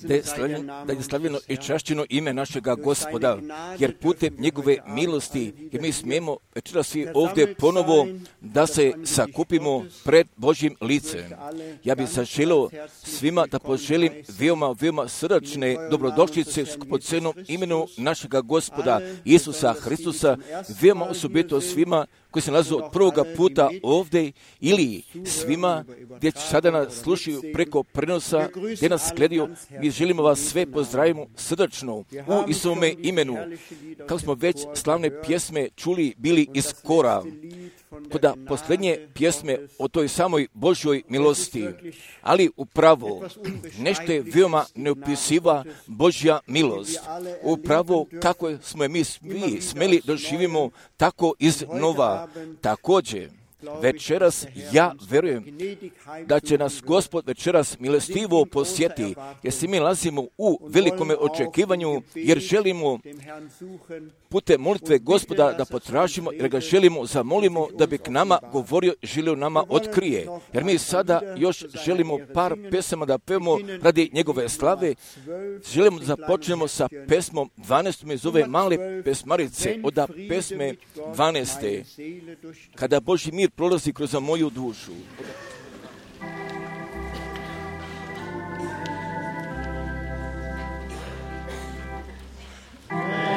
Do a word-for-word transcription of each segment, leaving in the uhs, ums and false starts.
Da je slavljeno, da je slavljeno i čašćeno ime našega Gospoda, jer putem njegove milosti, jer mi smijemo večeras svi ovdje ponovo da se sakupimo pred Božjim licem. Ja bih zaželio svima da poželim veoma, veoma srdačne dobrodošlice skupocenom imenu našega Gospoda Isusa Hristusa, veoma osobito svima koji se nalaze od prvoga puta ovdje ili svima gdje sada nas slušaju preko prenosa, gdje nas gledaju. Mi želimo vas sve pozdravimo srdačno u Isusovome imenu. Kako smo već slavne pjesme čuli bili iz kora, kada posljednje pjesme o toj samoj Božjoj milosti, ali upravo nešto je veoma neopisiva Božja milost. Upravo kako smo je mi svi smeli doživimo tako iznova. Također, večeras ja verujem da će nas Gospod večeras milostivo posjeti, jer se mi nalazimo u velikome očekivanju, jer želimo putem molitve Gospoda da potražimo, jer ga želimo, zamolimo da bi k nama govorio, želio nama otkrije. Jer mi sada još želimo par pesama da pevamo radi njegove slave. Želimo da započnemo sa pesmom dvanaestom iz ove male pesmarice, od pesme dvanaeste. Kada Božji mir prolazi kroz moju dušu. Love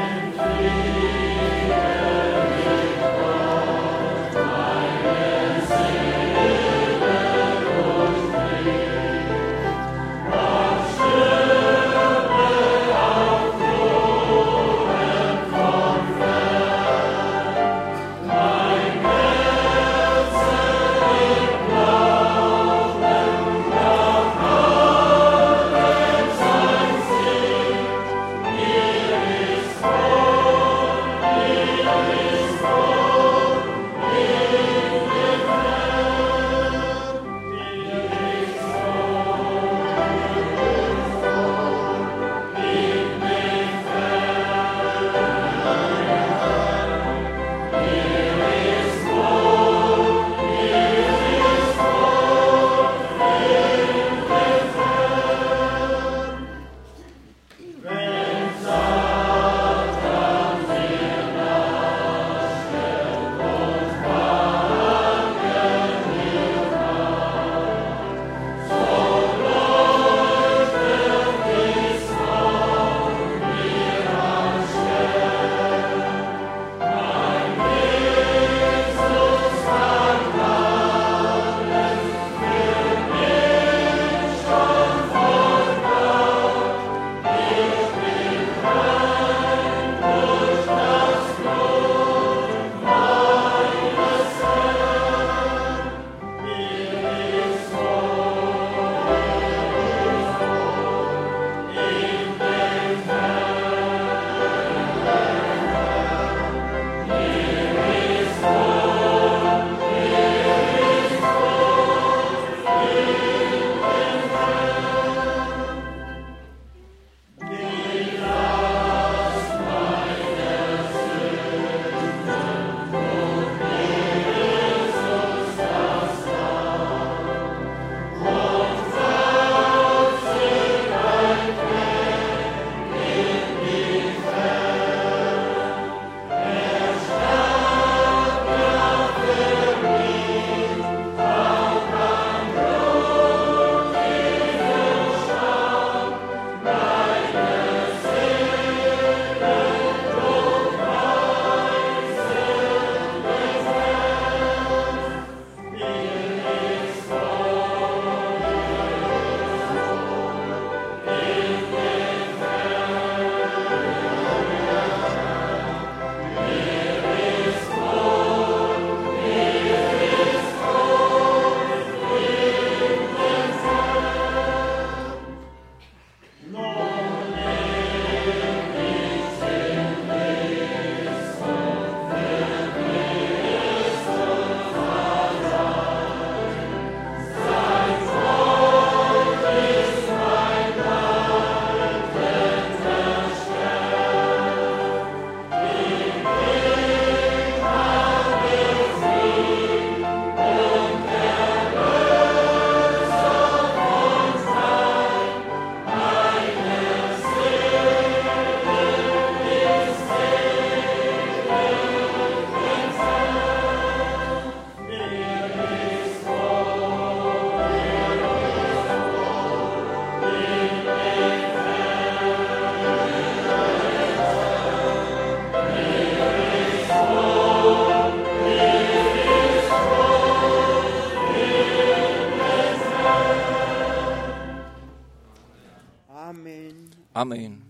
Amen.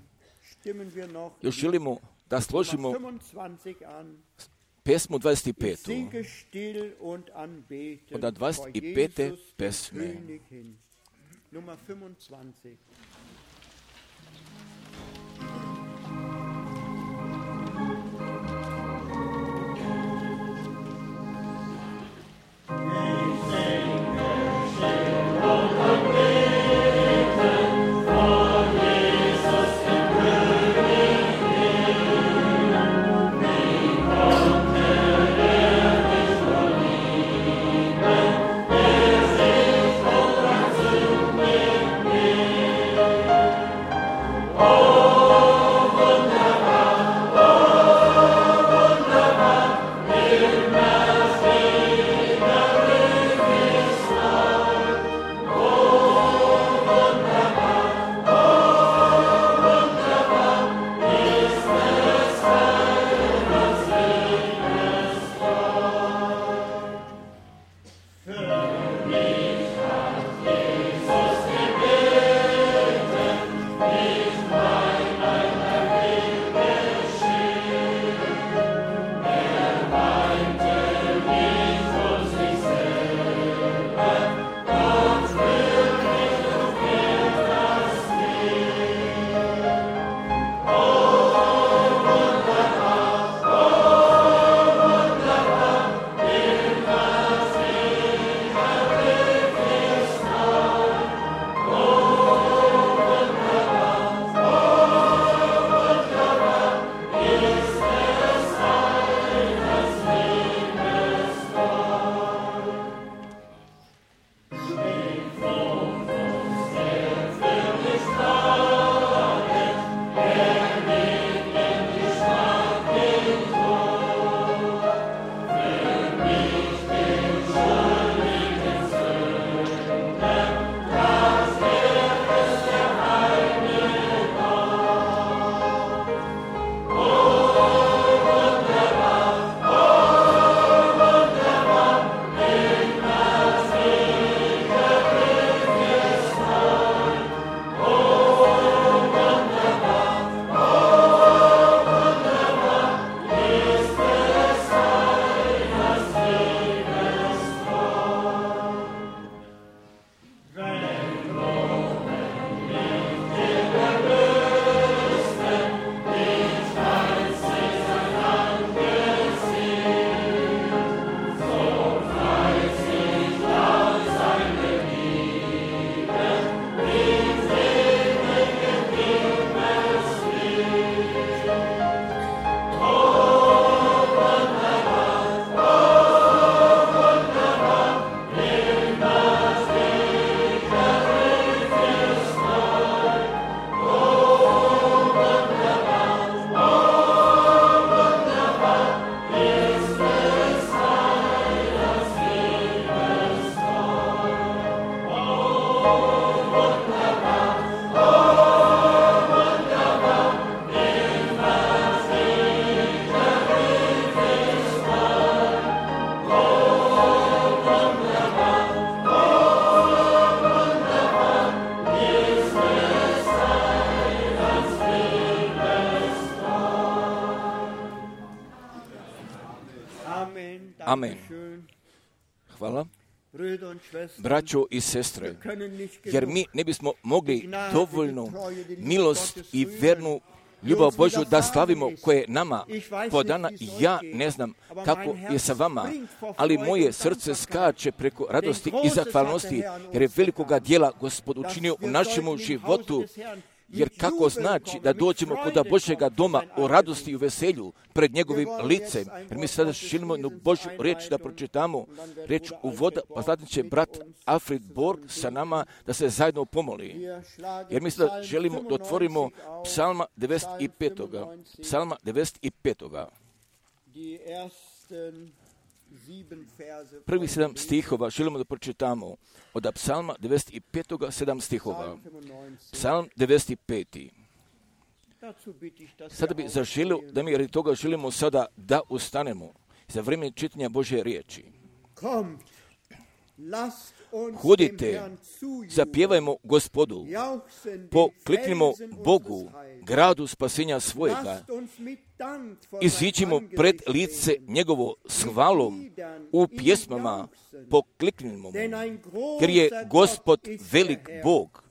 Još želimo da složimo pesmu dvadeset pet. Od dvadeset pete pesme. Nummer fünfundzwanzig. Amen. Hvala. Braćo i sestre, jer mi ne bismo mogli dovoljno milost i vernu ljubav Božju da slavimo koje je nama podana. Ja ne znam kako je sa vama, ali moje srce skače preko radosti i zahvalnosti, jer je velikoga djela Gospod učinio u našemu životu. Jer kako znači da dođemo kod Božjega doma u radosti i u veselju pred njegovim licem. Jer mi sada želimo jednu Božju riječ da pročitamo, riječ uvoda, pa zatim će brat Alfred Borg sa nama da se zajedno pomoli. Jer mi sada želimo da otvorimo psalma devedeset pet. Psalma devedeset pet. Prvi sedam stihova želimo da pročitamo od psalma devedeset pet. sedam stihova. Psalm devedeset pet. Sada bi zaželio da mi radi toga želimo sada da ustanemo za vrijeme čitanja Božje riječi. Hodite, zapjevajmo Gospodu, pokliknimo Bogu, gradu spasenja svojega, iziđimo pred lice njegovo s hvalom, u pjesmama pokliknimo mu, jer je Gospod velik Bog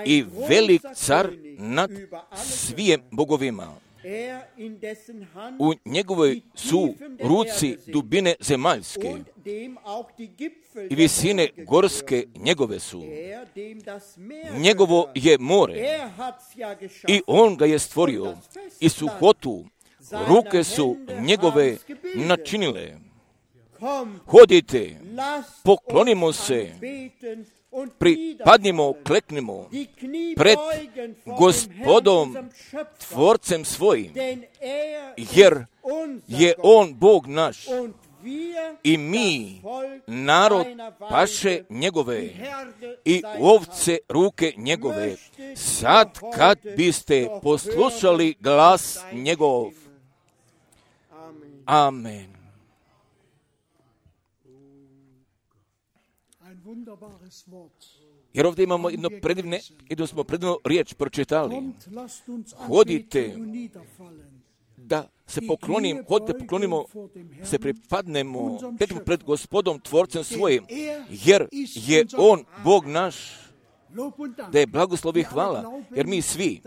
i velik car nad svim bogovima. U njegovoj su ruci dubine zemaljske i visine gorske njegove su. Njegovo je more i on ga je stvorio i suhotu ruke su njegove načinile. Hodite, poklonimo se, pripadnimo, kleknimo pred Gospodom, Tvorcem svojim, jer je on Bog naš i mi, narod paše njegove i ovce ruke njegove. Sad kad biste poslušali glas njegov. Amen. Jer ovdje imamo jedno predivne, jedno smo predivnu riječ pročitali. Hodite da se poklonim, hodite poklonimo, se pripadnemo pred Gospodom, Tvorcem svojim, jer je on Bog naš, da je blagoslov i hvala, jer mi svi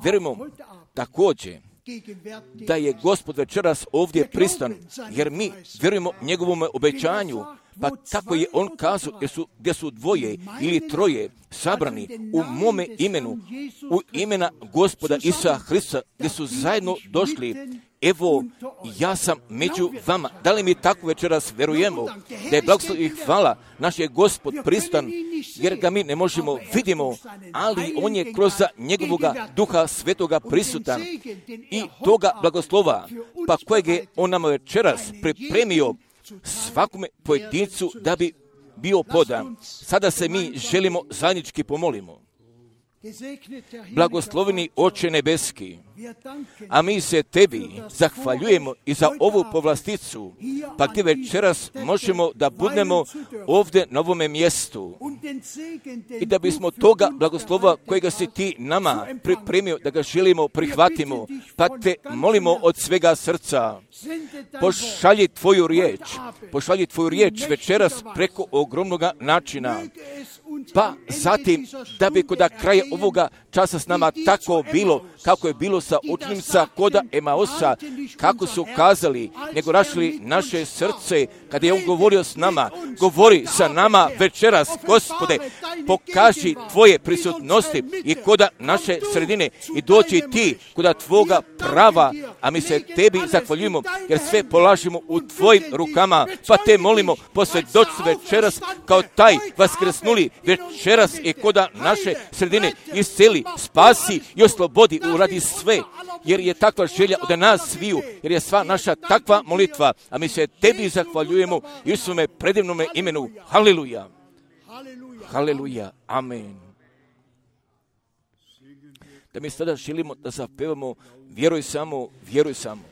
vjerujemo također da je Gospod večeras ovdje pristan, jer mi vjerujemo njegovom obećanju. Pa tako je on kazao, gdje su, gdje su dvoje ili troje sabrani u mome imenu, u imena Gospoda Isusa Hrista, gdje su zajedno došli. Evo, ja sam među vama. Da li mi tako večeras vjerujemo da je blagoslov i hvala naš je Gospod pristan, jer ga mi ne možemo vidimo, ali on je kroz njegovoga Duha Svetoga prisutan i toga blagoslova, pa kojeg je on nama večeras pripremio svakome pojedincu da bi bio podan. Sada se mi želimo zajednički pomolimo. Blagosloveni Oče nebeski, a mi se tebi zahvaljujemo i za ovu povlasticu, pa gdje večeras možemo da budemo ovdje na ovome mjestu i da bismo toga blagoslova kojega si ti nama pripremio, da ga želimo prihvatimo, pa te molimo od svega srca, pošalji tvoju riječ, pošalji tvoju riječ večeras preko ogromnoga načina, pa zatim da bi kod kraja ovoga časa s nama tako bilo kako je bilo sa učenicima koda Emaosa, kako su kazali, nego rašili naše srce kada je on govorio s nama. Govori sa nama večeras, Gospode, pokaži tvoje prisutnosti i koda naše sredine i doći ti koda tvoga prava, a mi se tebi zahvaljujemo jer sve polažimo u tvojim rukama, pa te molimo posvjedoči večeras kao taj vaskrsnuli večeras i koda naše sredine isceli, spasi i oslobodi, uradi sve, jer je takva želja od nas sviju, jer je sva naša takva molitva, a mi se tebi zahvaljujemo i u svome predivnome imenu. Haleluja. Haleluja. Amen. Da mi sada želimo da zapevamo vjeruj samo, vjeruj samo.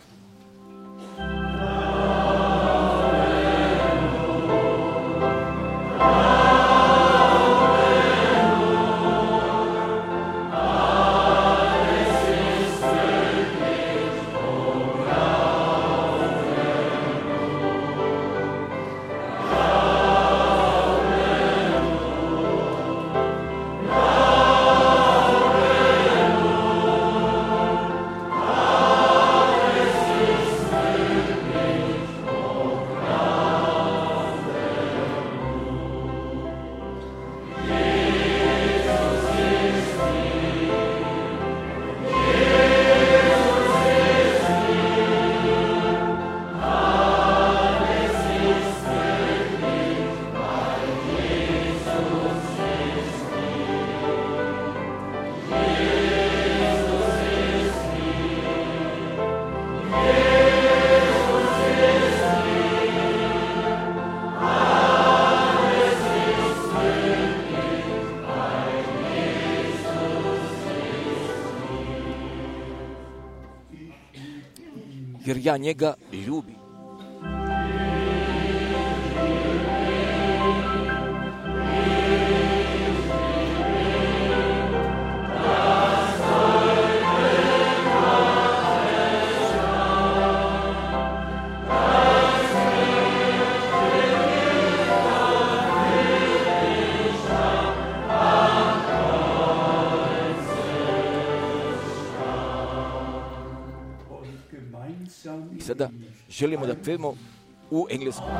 Jer ja njega ljubim. sada želimo da pevamo u engleskom.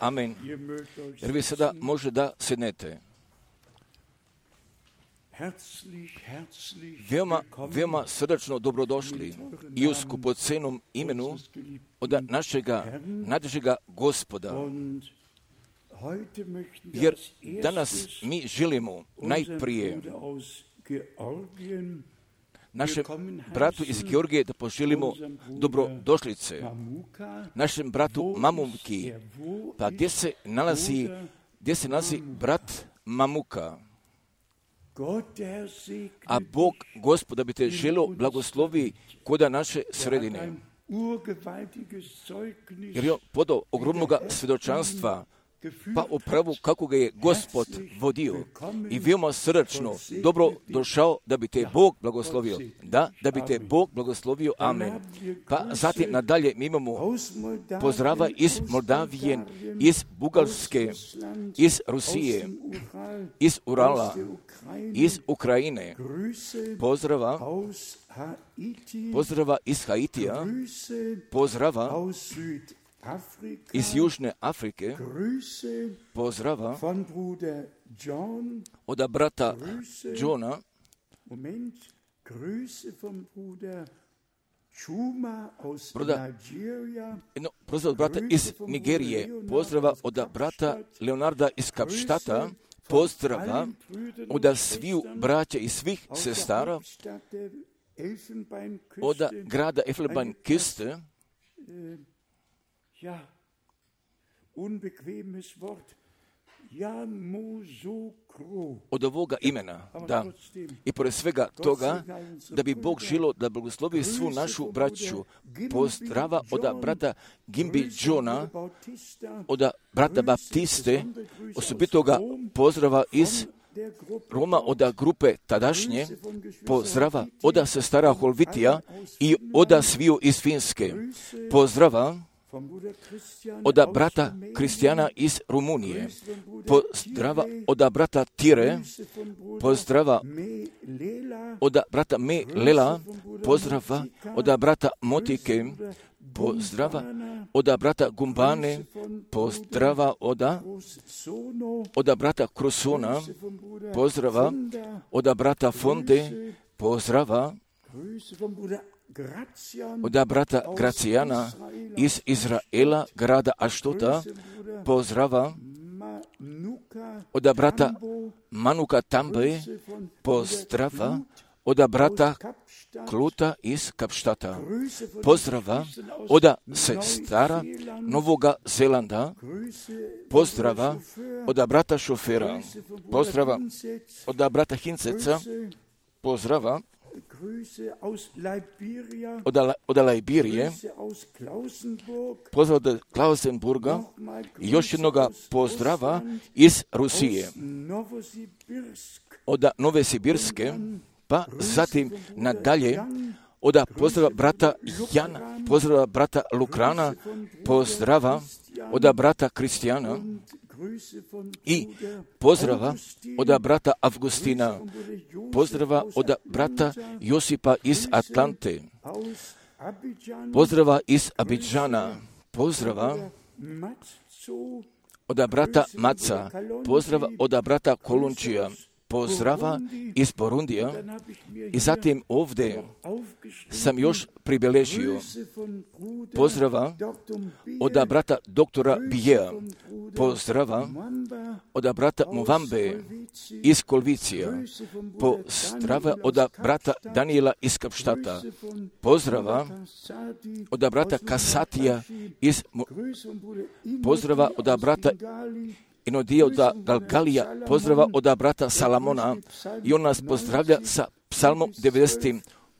Amen. Jer vi sada može da sednete. Veoma, veoma srdačno dobrodošli i u skupocenom imenu od našega najdražega Gospoda. Jer danas mi želimo najprije našem bratu iz Georgije da poželimo dobrodošlice, našem bratu Mamumki, pa gdje se nalazi, gdje se nalazi brat Mamuka. A Bog, Gospoda, bi te želio blagoslovi koda naše sredine. Jer je on podao ogromnog svjedočanstva, pa upravo kako ga je Gospod vodio i veoma srdačno dobro došao da bi te Bog blagoslovio. Da, da bi te Bog blagoslovio. Amen. Pa zatim nadalje mi imamo pozdrava iz Moldavije, iz Bugarske, iz Rusije, iz Urala, iz Ukrajine. Pozdrava, pozdrava iz Haitija, pozdrava iz Južne Afrike, pozdrava od brata Johna, Broda, no, pozdrav od brata iz Nigerije, pozdrava od brata Leonarda iz Kapštata, pozdrava od sviju braća i svih sestara, od grada Elfenbeinküste, Ja, unbequemes Wort. Od ovoga imena, da, i pored svega toga, da bi Bog želio da blagoslovi svu našu braću, pozdrava od brata Gimbi Johna, od brata Baptiste, osobitoga pozdrava iz Roma, od grupe tadašnje, pozdrava od sestara Holvitija i od sviju iz Finske, pozdrava od brata Kristijana iz Rumunije, pozdrava od brata Tire, pozdrava od brata Me Lela, pozdrava od brata Motike, pozdrava od brata Gumbane, pozdrava od, od brata Krusona, pozdrava od brata Fonde, pozdrava od brata Gracijana iz Izraela, grada Aštota, pozdrava od brata Manuka Tambe, pozdrava od brata Kluta iz Kapštata, pozdrava od sestara Novoga Zelanda, pozdrava od brata Šofera, pozdrava od brata Hinceca, pozdrava od, od Liberije, pozdrav od Klausenburga i još jednoga pozdrava iz Rusije, od Nove Sibirske, pa zatim nadalje od pozdrava brata Jana, pozdrava brata Lukrana, pozdrava od brata Kristijana i pozdrava od brata Avgustina, pozdrava od brata Josipa iz Atlante, pozdrava iz Abidžana, pozdrava od brata Maca, pozdrava od brata Kolunčija, pozdrava iz Borundija i zatim ovdje sam još pribeležio pozdrava od brata doktora Bijea, pozdrava od brata Muvambe iz Kolvicija, pozdrava od brata Daniela iz Kapštata, pozdrava od brata Kasatija iz pozdrava od brata Inodio od Galgalija, pozdrava od brata Salamona i on nas pozdravlja sa psalmom devedeset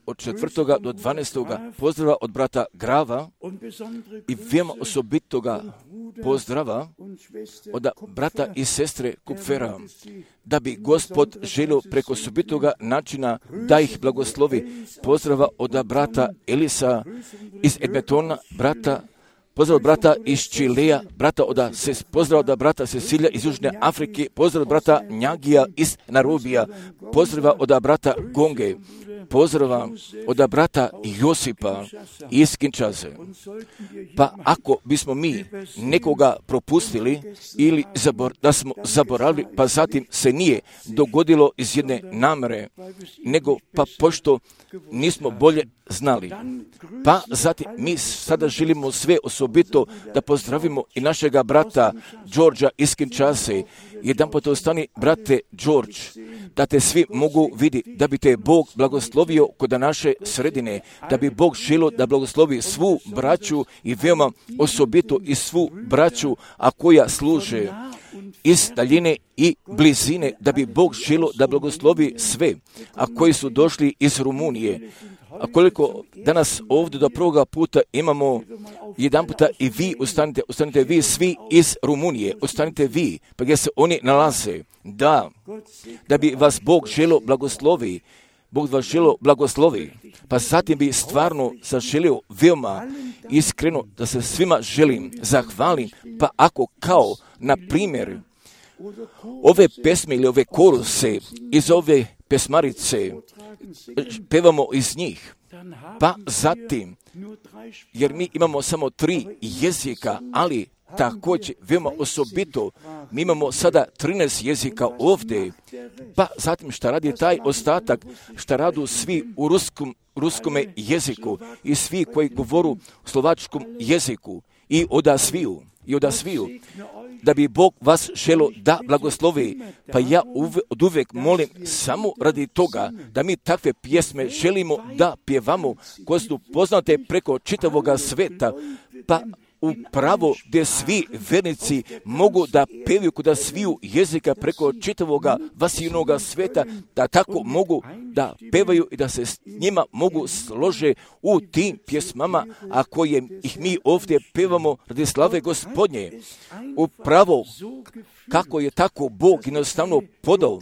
od četvrtoga do dvanaestoga pozdrava od brata Grava i veoma osobitoga pozdrava od brata i sestre Kupfera, da bi Gospod želio preko osobitoga načina da ih blagoslovi. Pozdrava od brata Elisa iz Edmontona, brata pozdrav od brata iz Čileja, brata od ses, pozdrav od brata Cecilija iz Južne Afrike, pozdrav od brata Njagija iz Narobija, pozdrava od brata Gonge, pozdrava od brata Josipa iz Kinshase. Pa ako bismo mi nekoga propustili ili zabor, da smo zaboravili, pa zatim se nije dogodilo iz jedne namere, nego pa pošto nismo bolje znali. Pa zatim mi sada želimo sve osobito da pozdravimo i našega brata Đorđa iz Kinshase. Jedan pot ostani, brate George, da te svi mogu vidjeti, da bi te Bog blagoslovio kod naše sredine, da bi Bog želio da blagoslovi svu braću i veoma osobito i svu braću, a koja služe iz daljine i blizine, da bi Bog želio da blagoslovi sve, a koji su došli iz Rumunije. A koliko danas ovdje do prvoga puta imamo jedan puta i vi ustanite, ustanite vi svi iz Rumunije, ustanite vi, pa gdje se oni nalaze, da, da bi vas Bog želio blagoslovi, Bog vas želio blagoslovi, pa zatim bi stvarno zaželio veoma iskreno da se svima želim zahvalim, pa ako kao, na primjer, ove pesme ili ove koruse iz ove pesmarice, pevamo iz njih, pa zatim, jer mi imamo samo tri jezika, ali također veoma osobito, mi imamo sada trinaest jezika ovdje, pa zatim šta radi taj ostatak, šta radu svi u ruskom, ruskome jeziku i svi koji govoru u slovačkom jeziku i oda sviju, i oda sviju, da bi Bog vas želio da blagoslovi. Pa ja uve, od uvijek molim samo radi toga da mi takve pjesme želimo da pjevamo koje su poznate preko čitavoga sveta, pa upravo gdje svi vernici mogu da pevaju kod sviju jezika preko čitavoga vasijnoga sveta, da tako mogu da pevaju i da se s njima mogu slože u tim pjesmama, a koje ih mi ovdje pevamo radi slave Gospodnje. Upravo kako je tako Bog jednostavno podao,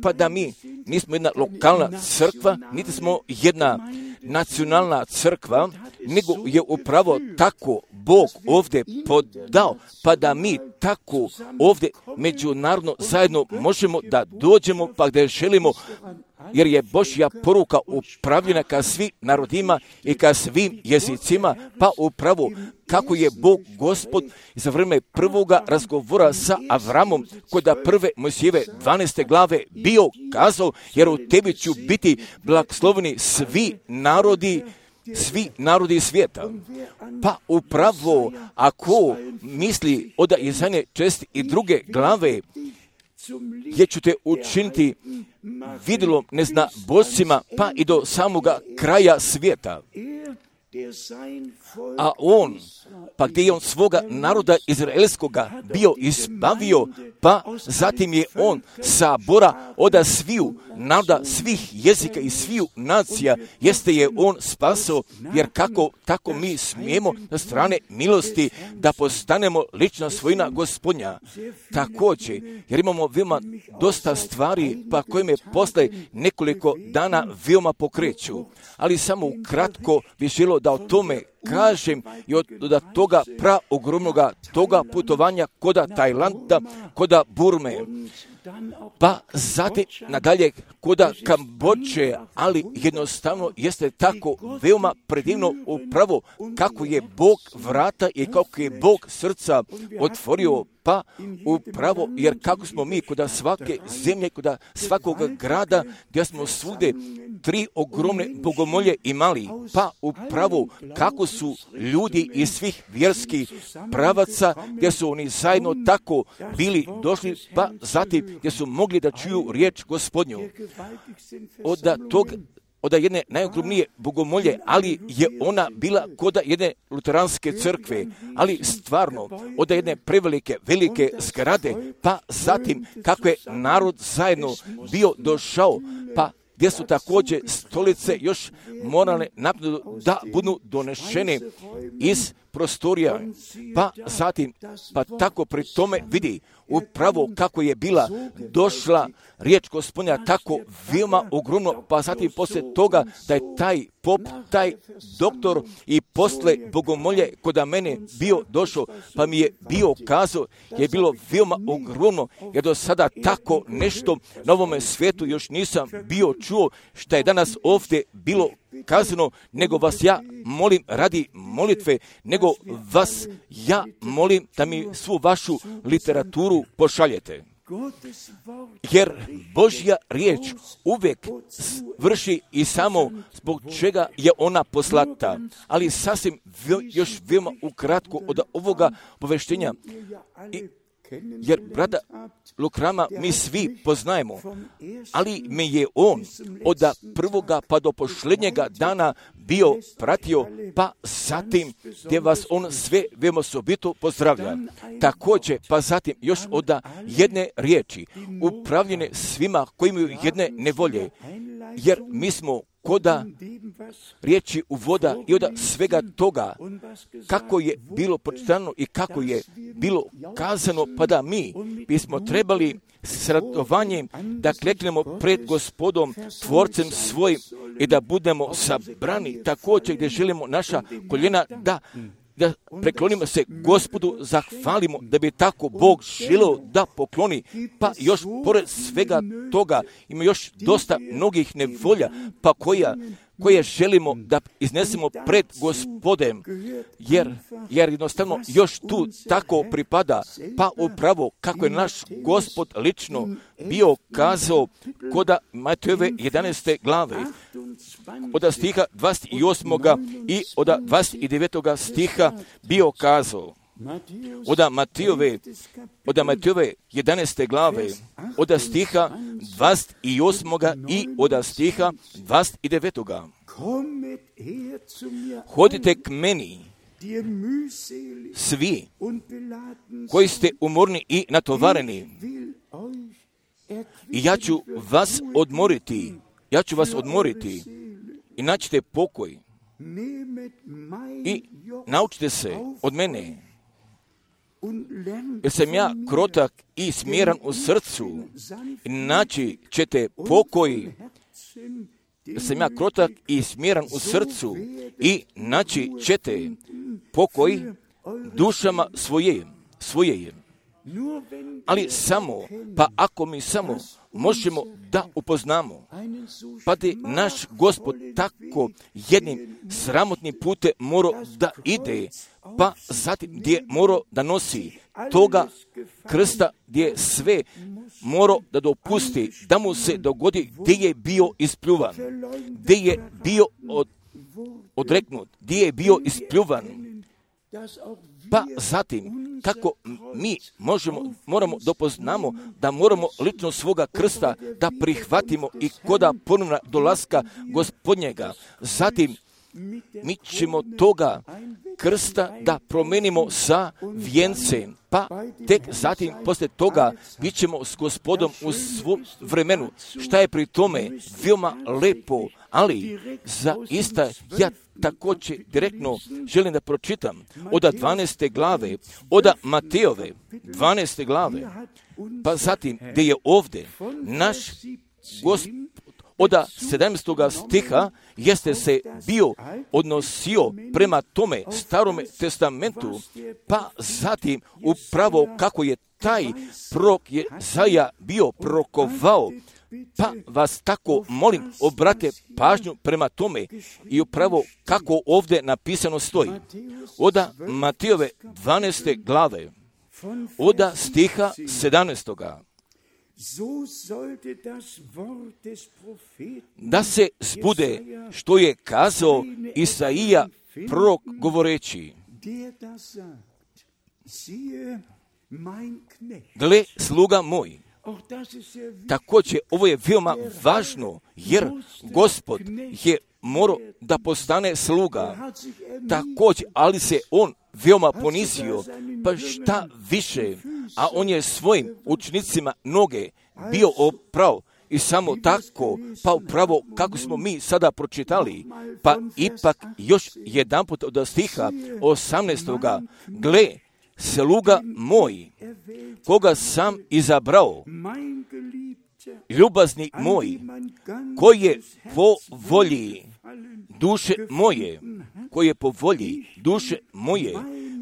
pa da mi nismo jedna lokalna crkva, niti smo jedna nacionalna crkva, nego je upravo tako Bog ovdje podao, pa da mi tako ovdje međunarodno zajedno možemo da dođemo, pa gdje želimo, jer je Božja poruka upravljena ka svim narodima i ka svim jezicima, pa upravo kako je Bog Gospod za vrijeme prvoga razgovora sa Avramom kod prve Mojsijeve dvanaeste glave bio kazao, jer u tebi ću biti blagosloveni svi narodi, svi narodi svijeta. Pa upravo ako misli od Izaije čest i druge glave, gdje ću te učiniti vidjelom ne zna božcima, pa i do samoga kraja svijeta. A on, pa gdje je on svoga naroda izraelskoga bio izbavio, pa zatim je on sabora od sviju naroda, svih jezika i sviju nacija, jeste je on spasao, jer kako tako mi smijemo na strane milosti da postanemo lična svojina Gospodnja. Također, jer imamo veoma dosta stvari, pa koje me posle nekoliko dana veoma pokreću, ali samo ukratko bih želio da o tome kažem i od, od toga pra ogromnoga toga putovanja koda Tajlanda, koda Burme, pa zatim nadalje koda Kambodže, ali jednostavno jeste tako veoma predivno upravo kako je Bog vrata i kako je Bog srca otvorio, pa upravo jer kako smo mi kod svake zemlje, kod svakog grada gdje smo svude tri ogromne bogomolje imali, pa upravo kako su ljudi iz svih vjerskih pravaca gdje su oni zajedno tako bili došli, pa zatim gdje su mogli da čuju riječ Gospodnju. Od tog od jedne najogromnije bogomolje, ali je ona bila kod jedne luteranske crkve, ali stvarno od jedne prevelike, velike zgrade, pa zatim kako je narod zajedno bio došao, pa gdje su također stolice još morale naprijed da budu donešene iz prostorija, pa zatim, pa tako pri tome vidi upravo kako je bila došla riječ Gospodnja tako veoma ogromno, pa zatim poslije toga da je taj pop, taj doktor i posle bogomolje kod mene bio došao, pa mi je bio kazao, je bilo veoma ogromno, jer do sada tako nešto na ovome svijetu još nisam bio čuo, što je danas ovdje bilo kazano, nego vas ja molim radi molitve, nego vas ja molim da mi svu vašu literaturu pošaljete. Jer Božja riječ uvijek vrši i samo zbog čega je ona poslata. Ali sasvim još veoma ukratko od ovoga poveštenja. I, jer brada Lukrama mi svi poznajemo, ali me je on od prvoga pa do posljednjega dana bio pratio, pa zatim gdje vas on sve veoma osobito pozdravlja. Također, pa zatim još od jedne riječi, upravljene svima koji imaju jedne nevolje, jer mi smo koda riječi uvoda i od svega toga kako je bilo pročitano i kako je bilo kazano, pa da mi bismo trebali s radovanjem da kleknemo pred Gospodom, Tvorcem svojim i da budemo sabrani također gdje želimo naša koljena da da preklonimo se Gospodu, zahvalimo da bi tako Bog želio da pokloni, pa još pored svega toga ima još dosta mnogih nevolja, pa koja, koje želimo da iznesemo pred Gospodem, jer, jer jednostavno još tu tako pripada, pa upravo kako je naš Gospod lično bio kazao koda Matejove jedanaeste glave, od stiha dvadeset osmog i od dvadeset devetog stiha bio kazao, od Matejove, od Matejove jedanaeste glave, od stiha dvadeset osmog i od stiha dvadeset devetog. Hodite k meni, svi koji ste umorni i natovareni, i ja ću vas odmoriti, ja ću vas odmoriti i naćite pokoj i naučite se od mene, jer sam ja krotak i smjeran u srcu, i naći ćete pokoj, jer sam ja krotak i smjeran u srcu i naći ćete pokoj dušama svoje, svoje. Ali samo, pa ako mi samo možemo da upoznamo, pa da naš Gospod tako jednim sramotnim putem mora da ide, pa zatim gdje mora da nosi toga krsta, gdje sve mora da dopusti, da mu se dogodi gdje je bio ispljuvan, gdje je bio od, odreknut, gdje je bio ispljuvan. Pa zatim, kako mi možemo, moramo dopoznamo da moramo lično svoga krsta da prihvatimo i koda ponovna dolaska Gospodnjega. Zatim, mi ćemo toga krsta da promenimo sa vijencem, pa tek zatim poslije toga bit ćemo s Gospodom u svom vremenu. Šta je pri tome veoma lepo, ali zaista ja također direktno želim da pročitam od dvanaeste glave, od Matejove dvanaeste glave, pa zatim gdje je ovdje naš Gospod od sedamnaestog stiha jeste se bio odnosio prema tome starome testamentu, pa zatim upravo kako je taj prorok Jesaja bio prorokovao, pa vas tako molim obrate pažnju prema tome i upravo kako ovdje napisano stoji. Od Matejove dvanaeste glave, od stiha sedamnaestog. Da se zbude što je kazao Isaija prorok govoreći, gle sluga moj. Također ovo je veoma važno, jer Gospod je morao da postane sluga. Također, ali se on veoma ponizio, pa šta više, a on je svojim učenicima noge bio oprao I samo tako, pa upravo kako smo mi sada pročitali, pa ipak još jedanput od stiha osamnaestoga gle, sluga moj, koga sam izabrao, ljubazni moj, koji je po volji duše moje, koji je po volji duše moje,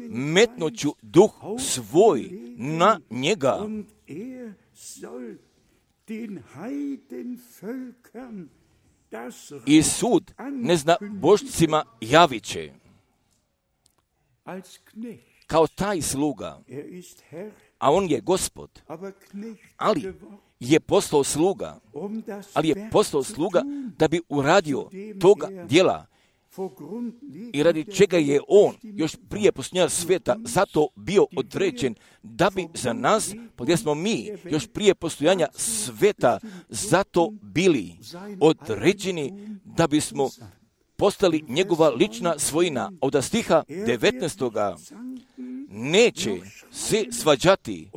metnuću duh svoj na njega. I sud neznabošcima javit će. Kao taj sluga, a on je gospod, ali je postao sluga, ali je postao sluga da bi uradio toga djela i radi čega je on još prije postojanja svijeta zato bio određen da bi za nas, gdje smo mi još prije postojanja svijeta zato bili određeni da bismo postali njegova lična svojina. Od stiha devetnaestoga neće se svađati,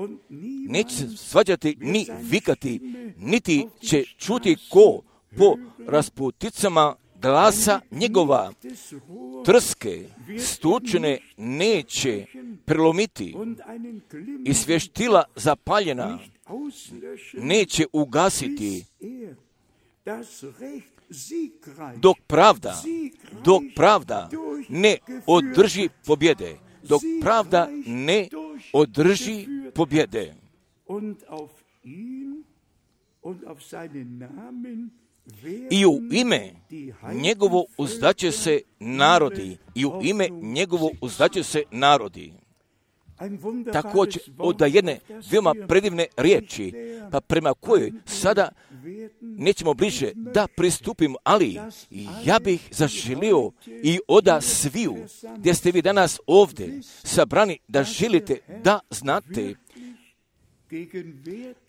neće se svađati ni vikati, niti će čuti ko po rasputicama glasa njegova, trske stučene neće prelomiti i svještila zapaljena neće ugasiti, dok pravda, dok pravda ne održi pobjede, dok pravda ne održi pobjede. I u ime njegovo uzdaće se narodi, i u ime njegovo uzdaće se narodi. Također od jedne veoma predivne riječi, pa prema kojoj sada nećemo bliže da pristupimo, ali ja bih zaželio i oda sviju, gdje ste vi danas ovdje sabrani, da želite da znate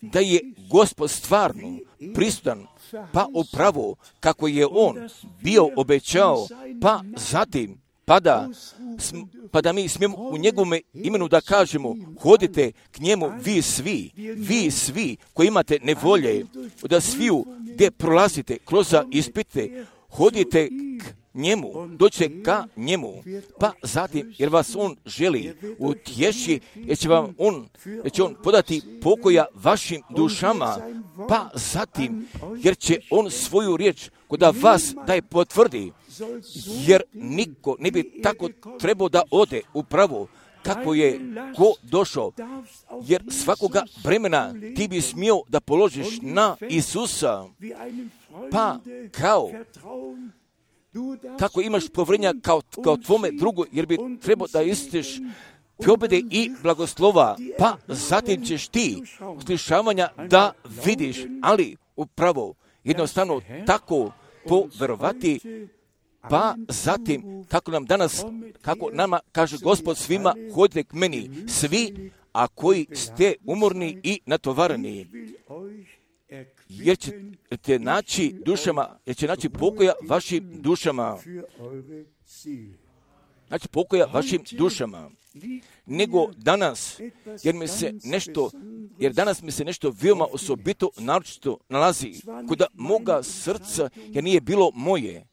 da je Gospod stvarno prisutan, pa upravo kako je on bio obećao, pa zatim pa da, pa da mi smijemo u njegovome imenu da kažemo, hodite k njemu vi svi, vi svi koji imate nevolje, da sviju gdje prolazite kroz ispite, hodite k njemu, dođite ka njemu, pa zatim, jer vas on želi utješi, jer će vam on, jer će on podati pokoja vašim dušama, pa zatim, jer će on svoju riječ koda vas da je potvrdi, jer niko ne bi tako trebao da ode upravo kako je ko došao, jer svakoga vremena ti bi smio da položiš na Isusa, pa kao kako imaš povjerenja kao, kao tvome drugu, jer bi trebao da istiš pobjede i blagoslova, pa zatim ćeš ti uslišavanja da vidiš, ali upravo jednostavno tako poverovati, pa zatim kako nam danas, kako nama kaže Gospod svima, hodite k meni svi, a koji ste umorni i natovareni, jer ćete naći dušama, jer će naći pokoja vašim dušama. Znači pokoja vašim dušama. Nego danas, jer mi se nešto, jer danas mi se nešto veoma osobito naročito nalazi kod moga srca, jer nije bilo moje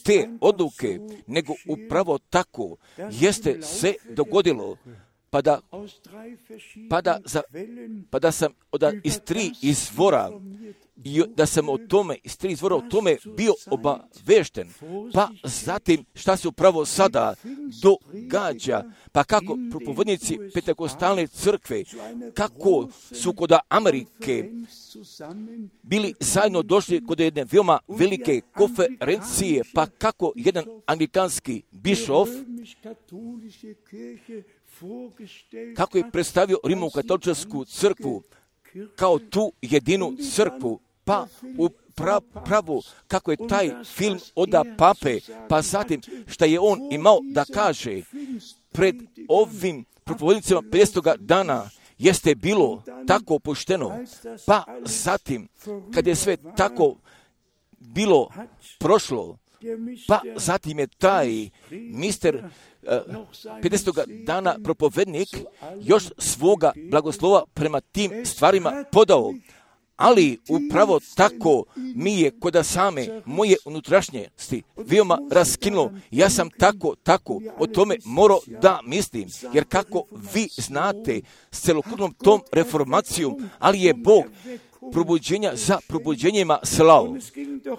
te odluke, nego upravo tako jeste se dogodilo. Pa da, pa da, za, pa da sam od, iz tri izvora, i da sam o tome, iz tri izvora o tome bio obavešten. Pa zatim šta se upravo sada događa, pa kako propovednici Pentekostalne crkve, kako su kod Amerike bili zajedno došli kod jedne veoma velike konferencije, pa kako jedan anglikanski bišof, kako je predstavio Rimokatoličku crkvu kao tu jedinu crkvu, pa u pra, pravu kako je taj film oda pape, pa zatim šta je on imao da kaže pred ovim propovednicima pedesetog dana, jeste bilo tako opušteno, pa zatim kad je sve tako bilo prošlo, pa zatim je taj mister pedesetog dana propovednik još svoga blagoslova prema tim stvarima podao, ali upravo tako mi je kod same moje unutrašnjosti veoma raskinulo. Ja sam tako, tako o tome morao da mislim, jer kako vi znate s celokupnom tom reformacijom, ali je Bog probuđenja za probuđenjima slao.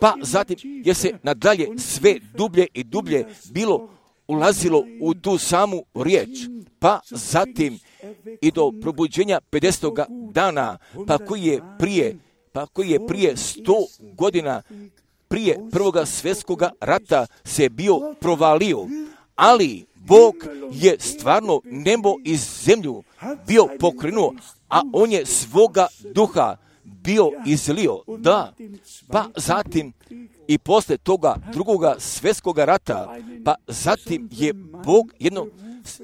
Pa zatim je se nadalje sve dublje i dublje bilo ulazilo u tu samu riječ, pa zatim i do probuđenja pedesetoga dana, pa koji je prije, pa koji je prije sto godina, prije prvoga svjetskoga rata se bio provalio, ali Bog je stvarno nebo i zemlju bio pokrenuo, a on je svoga duha bio izlio, da, pa zatim i posle toga drugoga svjetskoga rata, pa zatim je Bog jedno,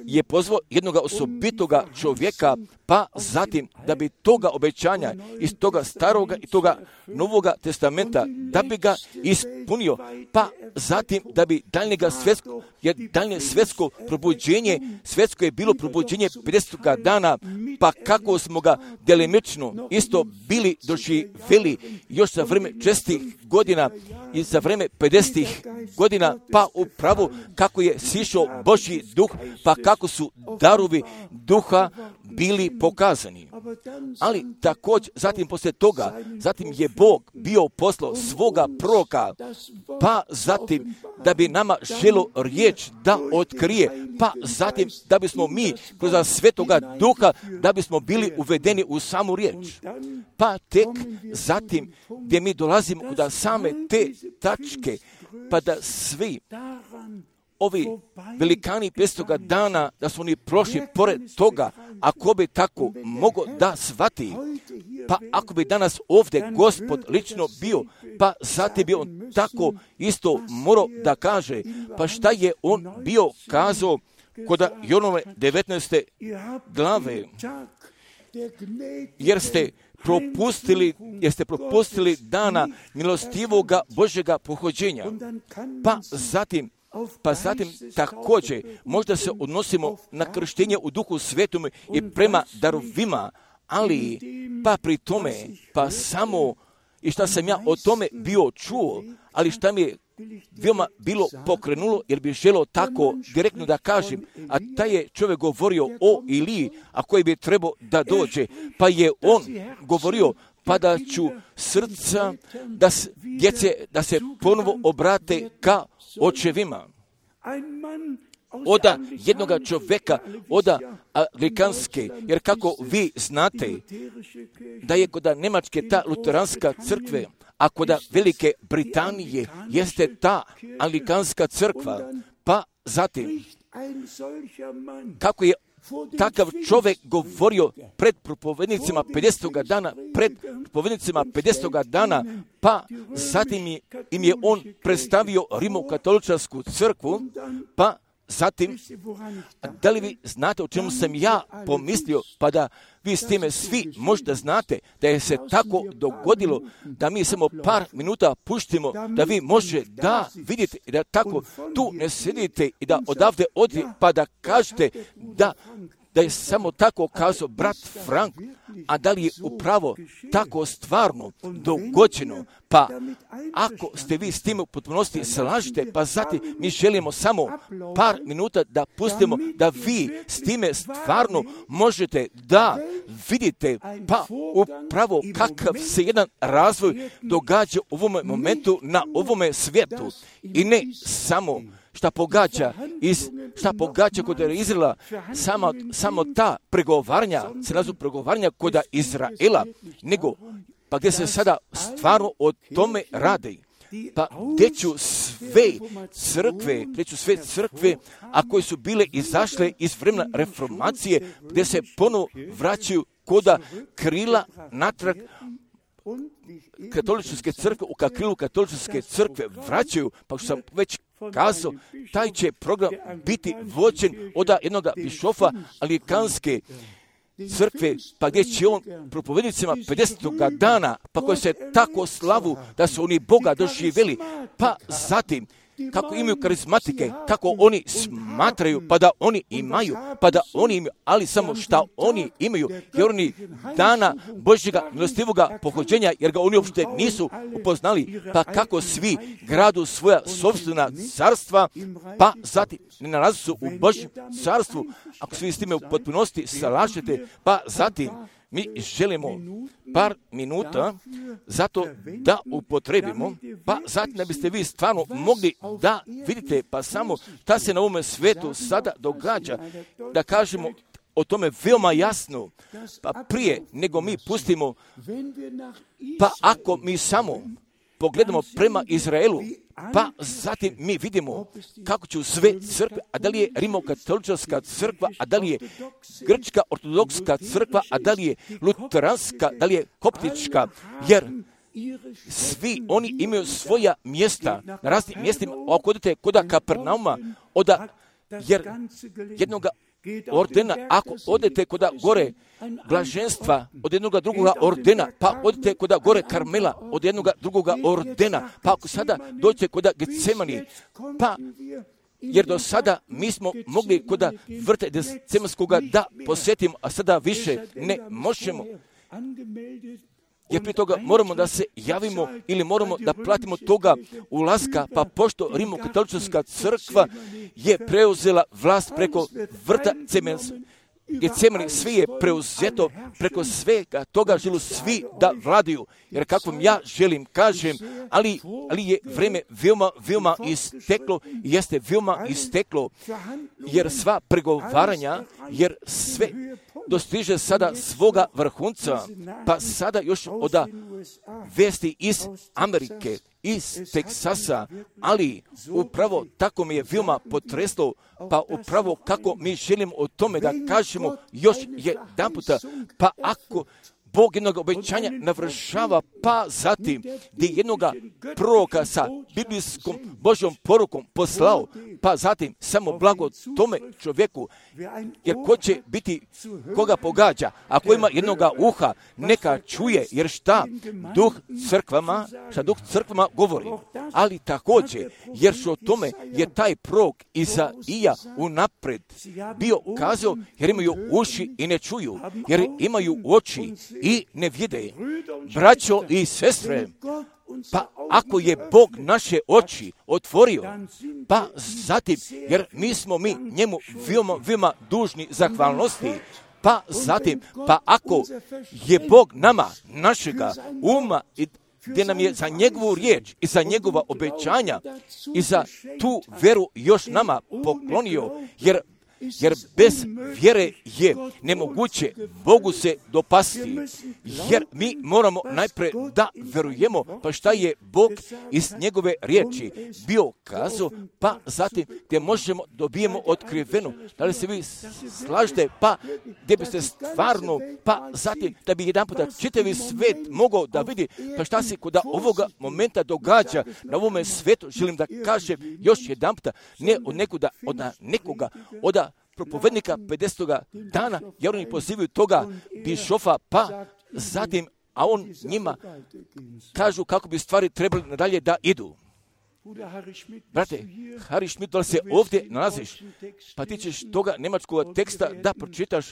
je pozvao jednog osobitoga čovjeka, pa zatim da bi toga obećanja iz toga staroga i toga novoga testamenta, da bi ga ispunio, pa zatim da bi daljnjega svjetsko, jer daljnje svjetsko probuđenje, svjetsko je bilo probuđenje pedesetoga dana, pa kako smo ga delimično isto bili doživjeli još za vreme čestih godina i za vreme pedesetih godina, pa upravo kako je sišao Božji duh, pa kako su darovi duha bili pokazani. Ali također, zatim poslije toga, zatim je Bog bio poslao svoga proroka, pa zatim da bi nama želo riječ da otkrije, pa zatim da bismo mi kroz svetoga duha, da bismo bili uvedeni u samu riječ. Pa tek zatim gdje mi dolazimo da same te tačke, pa da svi ovi velikani petstoga dana, da su oni prošli pored toga, ako bi tako mogo da shvati, pa ako bi danas ovdje Gospod lično bio, pa zatim bi on tako isto morao da kaže, pa šta je on bio kazao kod Jonove devetnaeste glave, jer ste propustili, jer ste propustili dana milostivoga Božjega pohođenja, pa zatim Pa zatim također možda se odnosimo na krštenje u Duhu Svetom i prema darovima, ali pa pri tome, pa samo i šta sam ja o tome bio čuo, ali šta mi je veoma bilo pokrenulo, jer bi želio tako direktno da kažem, a taj je čovjek govorio o Iliji, a koji bi trebao da dođe, pa je on govorio, pa da ću srca da se, djece da se ponovo obrate ka očevima. Oda jednoga čovjeka, oda Anglikanske, jer kako vi znate da je kod Njemačke ta luteranska crkve, a kod Velike Britanije jeste ta Anglikanska crkva, pa zatim kako je takav čovjek govorio pred propovednicima pedesetoga dana, pred propovednicima pedesetoga dana, pa zatim im je on predstavio Rimokatoličarsku crkvu, pa zatim, da li vi znate o čemu sam ja pomislio, pa da vi s time svi možda znate da je se tako dogodilo da mi samo par minuta puštimo, da vi može da vidite i da tako tu ne sedite i da odavde odi pa da kažete da da je samo tako kazao brat Frank, a da li je upravo tako stvarno dogođeno, pa ako ste vi s tim u potpunosti slažete, pa zatim mi želimo samo par minuta da pustimo da vi s time stvarno možete da vidite, pa upravo kakav se jedan razvoj događa u ovome momentu na ovome svijetu i ne samo šta pogađa iz, šta pogađa kod Izraela, samo, samo ta pregovaranja, se nazu pregovaranja kod Izraela, nego pa gdje se sada stvarno o tome radi. Pa gdje ću sve crkve, gdje ću sve crkve, a koje su bile izašle iz vremena reformacije, gdje se ponovo vraćaju koda krila natrag katoličke crkve, u krilu katoličke crkve vraćaju, pa što sam već kazao, taj će program biti vođen od jednog bišofa Anglikanske crkve, pa gdje će on propovednicima pedesetoga dana, pa koji se tako slavu da su oni Boga doživjeli, pa zatim kako imaju karizmatike, kako oni smatraju, pa da oni imaju, pa da oni imaju, ali samo šta oni imaju, jer oni dana Božjega milostivoga pohođenja, jer ga oni uopšte nisu upoznali, pa kako svi gradu svoja sopstvena carstva, pa zatim ne nalazi su u Božjem carstvu, ako svi s time u potpunosti salažete, pa zatim mi želimo par minuta zato da upotrebimo, pa zatim da biste vi stvarno mogli da vidite pa samo šta se na ovome svetu sada događa, da kažemo o tome veoma jasno, pa prije nego mi pustimo, pa ako mi samo pogledamo prema Izraelu, pa zatim mi vidimo kako će sve crkve, a da li je rimokatolička crkva, a da li je grčka ortodoksska crkva, a da li je luteranska, da li je koptička, jer svi oni imaju svoja mjesta na raznim mjestima. Ako odete kod Kapernauma, oda, jer jednoga ordena, ako odete kod gore blaženstva od jednoga drugoga ordena, pa odete kod gore Karmela od jednoga drugoga ordena, pa ako sada dođete kod Getsemani, pa jer do sada mi smo mogli kod vrta Getsemanskoga da posjetimo, a sada više ne možemo. Jer prije toga moramo da se javimo ili moramo da platimo toga ulaska, pa pošto rimokatolička crkva je preuzela vlast preko vrta Getsemani, svi je preuzeto preko svega toga, želu svi da vladaju. Jer kako ja želim, kažem, ali, ali je vreme veoma, veoma isteklo, jeste veoma isteklo, jer sva pregovaranja, jer sve dostiže sada svoga vrhunca, pa sada još od vesti iz Amerike, iz Teksasa, ali upravo tako mi je veoma potreslo, pa upravo kako mi želimo o tome da kažemo još jedan puta, pa ako Bog jednog obećanja navršava, pa zatim gdje jednoga proroka sa biblijskom Božjom porukom poslao, pa zatim samo blago tome čovjeku, jer ko će biti, koga pogađa, ako ima jednoga uha, neka čuje, jer šta duh crkvama, šta duh crkvama govori, ali također, jer što o tome je taj prorok Izaija unapred bio kazao, jer imaju uši i ne čuju, jer imaju oči i ne vide. Braćo i sestre, pa ako je Bog naše oči otvorio, pa zatim, jer mi smo mi njemu veoma, veoma dužni zahvalnosti, pa zatim, pa ako je Bog nama, našega uma i gdje nam je za njegovu riječ i za njegova obećanja i za tu vjeru još nama poklonio, jer Jer bez vjere je nemoguće Bogu se dopasti, jer mi moramo najprije da verujemo, pa šta je Bog iz njegove riječi bio kazao, pa zatim gdje možemo dobijemo otkriveno. Da li se vi slažete, pa gdje biste stvarno, pa zatim da bi jedan puta čitavi svet mogao da vidi, pa šta se kod ovoga momenta događa na ovome svetu, želim da kažem još jedan puta, ne od nekuda, od nekoga, od propovednika pedesetoga dana, jer oni pozivaju toga bišofa, pa zatim, a on njima kažu kako bi stvari trebali nadalje da idu. Brate, Harry Schmidt, da li se ovdje nalaziš, pa ti ćeš toga njemačkog teksta da pročitaš,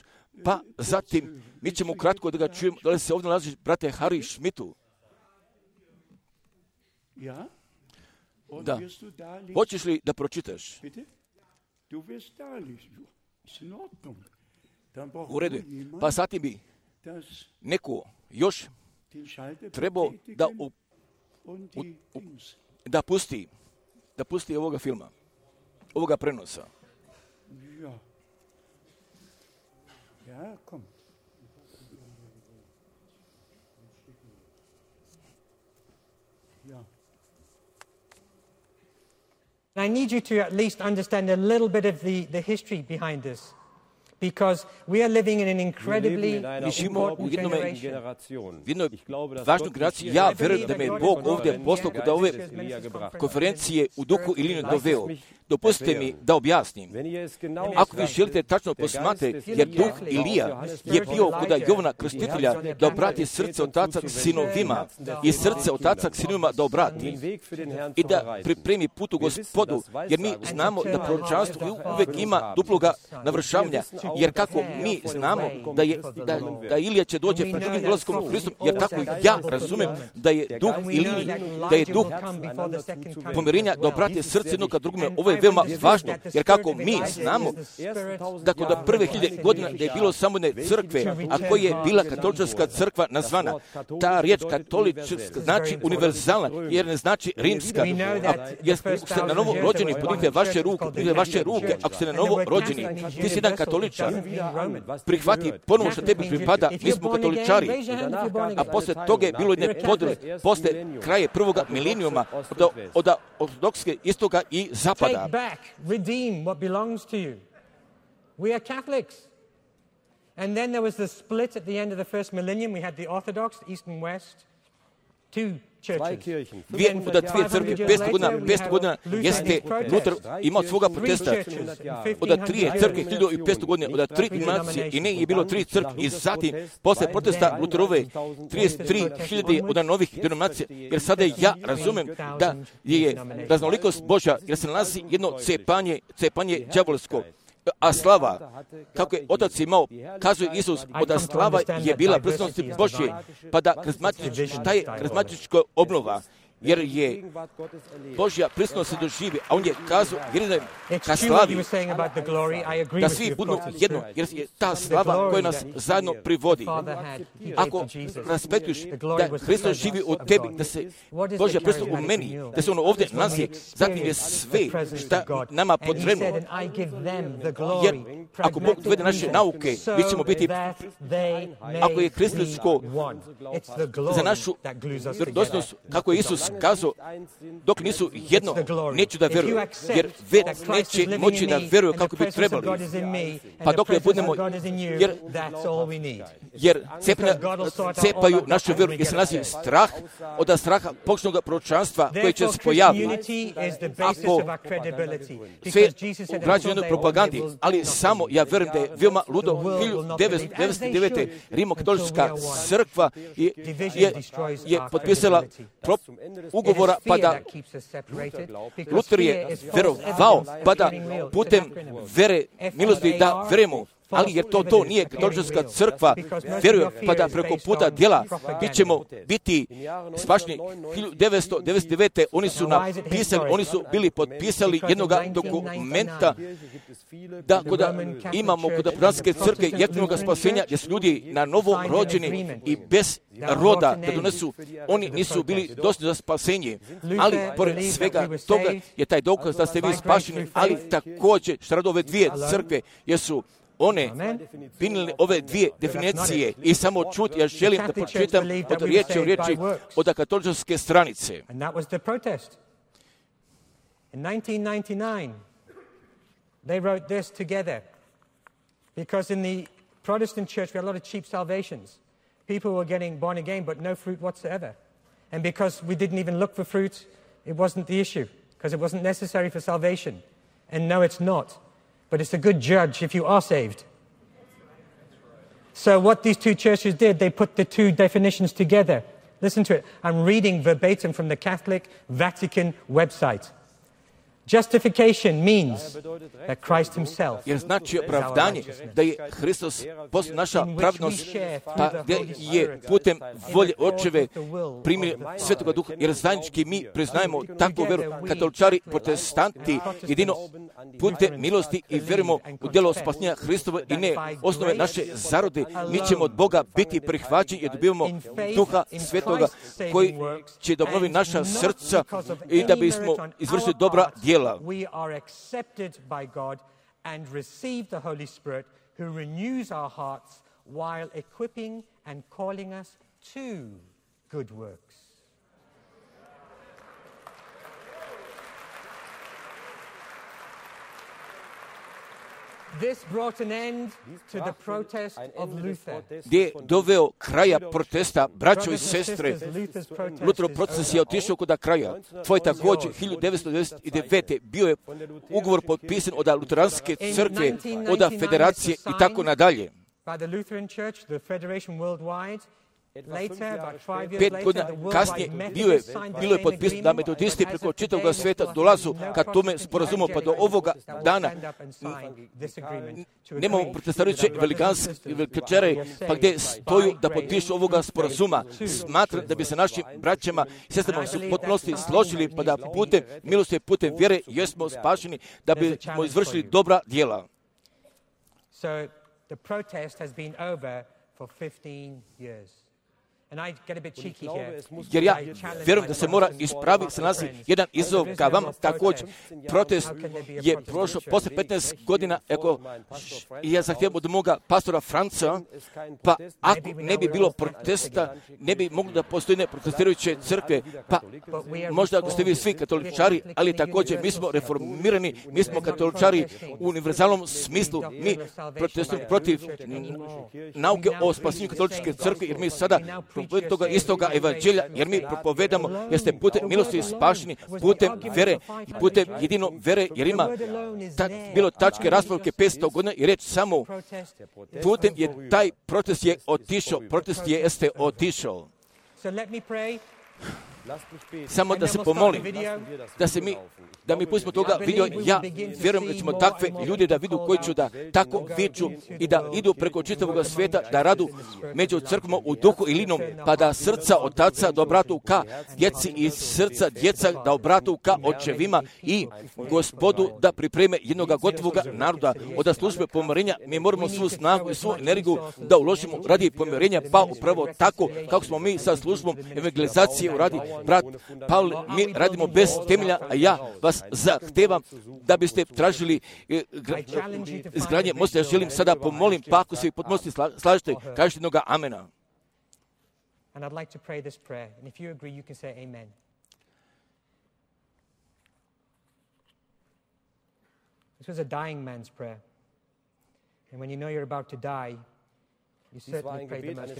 pa zatim mi ćemo kratko da ga čujemo, da li se ovdje nalaziš, brate Harry Schmidtu. Da. Hoćeš li da pročitaš? U redu. Pa zatim bi neko još trebao da, u, u, u, da pusti da pusti ovoga filma, ovoga prenosa. I need you to at least understand a little bit of the, the history behind this, because we are living in an incredibly important generation. V jednoj važnoj generaciji, ja vjerujem da me Bog ovdje poslao kod ove konferencije u duhu ili ne doveo. Dopustite mi da objasnim. Ako vi želite tačno posmatrati, jer duh Ilija je bio kod Jovana Krstitelja da obrati srce otaca sinovima i srce otaca sinovima da obrati i da pripremi put u Gospodu, jer mi znamo da proročanstvo uvijek ima duploga navršavanja, jer kako mi znamo da je da, da Ilija će doći pred drugim dolazkom u Hristu, jer tako ja razumem da je duh Iliji, da je duh pomirenja da obrati srce jednog ka drugome. Ovo je veoma važno, jer kako mi znamo da kod prve hiljade godina da je bilo samo ne crkve, a koja je bila katolička crkva nazvana. Ta riječ katolička znači univerzalna, jer ne znači rimska. A, jer ste na novo rođeni, podignite vaše ruke, podignite vaše ruke, ako ste na novo rođeni, ti si jedan katoličar, prihvati ponovo što tebi pripada, mi smo katoličari, a posle toga je bilo jedne podele, posle kraje prvoga milenijuma od, od ortodokske istoga i zapada. Take back, redeem what belongs to you. We are Catholics. And then there was the split at the end of the first millennium. We had the Orthodox, East and West, two churches. Dvije, od dvije crkve, petsto godina, petsto godina jeste Luther imao svoga protesta. Od trije crkve, hiljadu i petsto godina, od tri denominacije i ne je bilo tri crkve. I zatim, posle protesta Lutherove, trideset tri hiljade od novih denominacija. Jer sada ja razumem da je raznolikost Božja, jer se nalazi jedno cepanje, cepanje đavolsko. A slava, kako je Otac imao, kazuje Isus, od slava je bila prisutnost Božje, pa da šta je karizmatička obnova, jer je Božja prisutnost se doživi, a on je kazao, jer ka slavi, da svi budu jedno, jer je ta slava koja nas zajedno privodi. Ako raspetuješ da Hristos živi u tebi, da se Božja prisutnost u meni, da se ono ovdje nalazi, zatim je sve šta nama potrebno. Jer ako Bog dovede naše nauke, mi ćemo biti, ako je hristijansko za našu vjerodostojnost, kako je Isus kazao, dok nisu jedno, neću da veruju, jer već neće moći da veruju kako bi trebali. Pa dok ne budemo, jer, jer cepanja, cepaju našu veru, jer se nalazi strah, od straha počnog proročanstva koje će se pojaviti. Ako sve ugrađuje jednoj propagandi, ali samo ja verujem da je veoma ludo, hiljadu devetsto devedeset devete. Rimokatolička crkva je, je, je potpisala prop, ugovora, pa da Luther je verovao, pa da putem vere milosti da verujemo. Ali jer to to nije katolička crkva, vjeruje, pa da preko puta djela mi ćemo biti spašni. hiljadu devetsto devedeset devete. oni su napisali, oni su bili potpisali jednog dokumenta da kod imamo kod protestantske crkve jeftinog spasenja, gdje su ljudi na novo rođeni i bez roda da donesu, oni nisu bili dostojni za spasenje. Ali pored svega toga je taj dokaz da ste vi spašeni, ali također što rade ove dvije crkve, jesu one pinili ove dvije definicije i samo čuti, ja želim da pročitam od riječi u riječi od katoličke stranice. And that was the protest. In nineteen ninety-nine, they wrote this together. Because in the Protestant church, we had a lot of cheap salvations. People were getting born again, but no fruit whatsoever. And because we didn't even look for fruit, it wasn't the issue, because it wasn't necessary for salvation. And no, it's not. But it's a good judge if you are saved. So what these two churches did, they put the two definitions together. Listen to it. I'm reading verbatim from the Catholic Vatican website. Justification means that Christ himself. Jer znači opravdanje da je Hristos post naša pravnost, pa gdje je putem volje Očeve primili Svetoga Duha, jer zajednički mi priznajemo takvu veru, katoličari, protestanti, jedino putem milosti i verujemo u djelo spasenja Hristova i ne osnove naše zarode, mi ćemo od Boga biti prihvaćeni i dobivamo Duha Svetoga koji će da obnovi naša srca i da bismo izvršili dobra djela. We are accepted by God and receive the Holy Spirit who renews our hearts while equipping and calling us to good works. This brought an end to the protest of Luther. gdje je doveo kraja protesta, braćo i sestre. Lutherov proces je otišao kod kraja. Tvoj također, hiljadu devetsto devedeset devete. bio je ugovor potpisan od Luteranske crkve, od federacije i tako nadalje. By the Lutheran Church, the Federation Worldwide. Later, about five years Pet later, godina the worldwide kasnije bio je, Methodists signed the bilo je same potpisano da agreement, metodisti but as preko of čitavog today, sveta there dolazu was ka no tome Protestant sporazumu, pa do evangelical ovoga that will dana stand up and sign this agreement to nemamo agree protestarujuće with our brothers and sisters velikančare, who are pa gdje saved stoju by da grace potpišu ovoga sporazuma. Smatram da bi se našim braćama i sestrama su potpunosti složili, pa da putem milosti, putem vjere jesmo spašeni, da bi smo izvršili dobra djela. So the protest has been over for fifteen years. And I get a bit cheeky here. Jer ja vjerujem da se mora ispraviti, se nalazi jedan izazov ka vama također. Protest je prošao poslije petnaest godina, ako i ja zahtijevam od moga pastora Franca, pa ako ne bi bilo protesta, ne bi mogli da postoji ne protestirajuće crkve, pa možda ako ste vi svi katoličari, ali također mi smo reformirani, mi smo katoličari u univerzalnom smislu, mi protestujemo protiv nauke o spasenju katoličke crkve, jer mi sada propovedamo toga istoga evanđelja, jer mi propovedamo, jer ste putem milosti spašeni, putem vere i putem jedino vere, jer ima ta, bilo tačke raspravke petsto godina i reći samo putem je taj protest je otišao, protest je jeste otišao. Samo da se pomolim, da se mi, da mi pustimo toga video, ja vjerujem da ćemo takve ljudi da vidu koji ću da tako viču i da idu preko čitavog svijeta, da radu među crkvama u duhu i linom, pa da srca otaca da obratu ka djeci i srca djeca da obratu ka očevima i Gospodu da pripreme jednog gotovog naroda od službe pomirenja. Mi moramo svu snagu i svu energiju da uložimo radi pomirenja, pa upravo tako kako smo mi sa službom evangelizacije uradi. Brat Paul, mi radimo bez temelja, a ja vas zahtevam da biste tražili izgradnje mosta. Ja želim sada pomolim, pa ako se potpunosti slažete, kažete jednoga amena. And I'd like to pray this prayer. And if you agree, you can say amen. This was a dying man's prayer. And when you know you're about to die,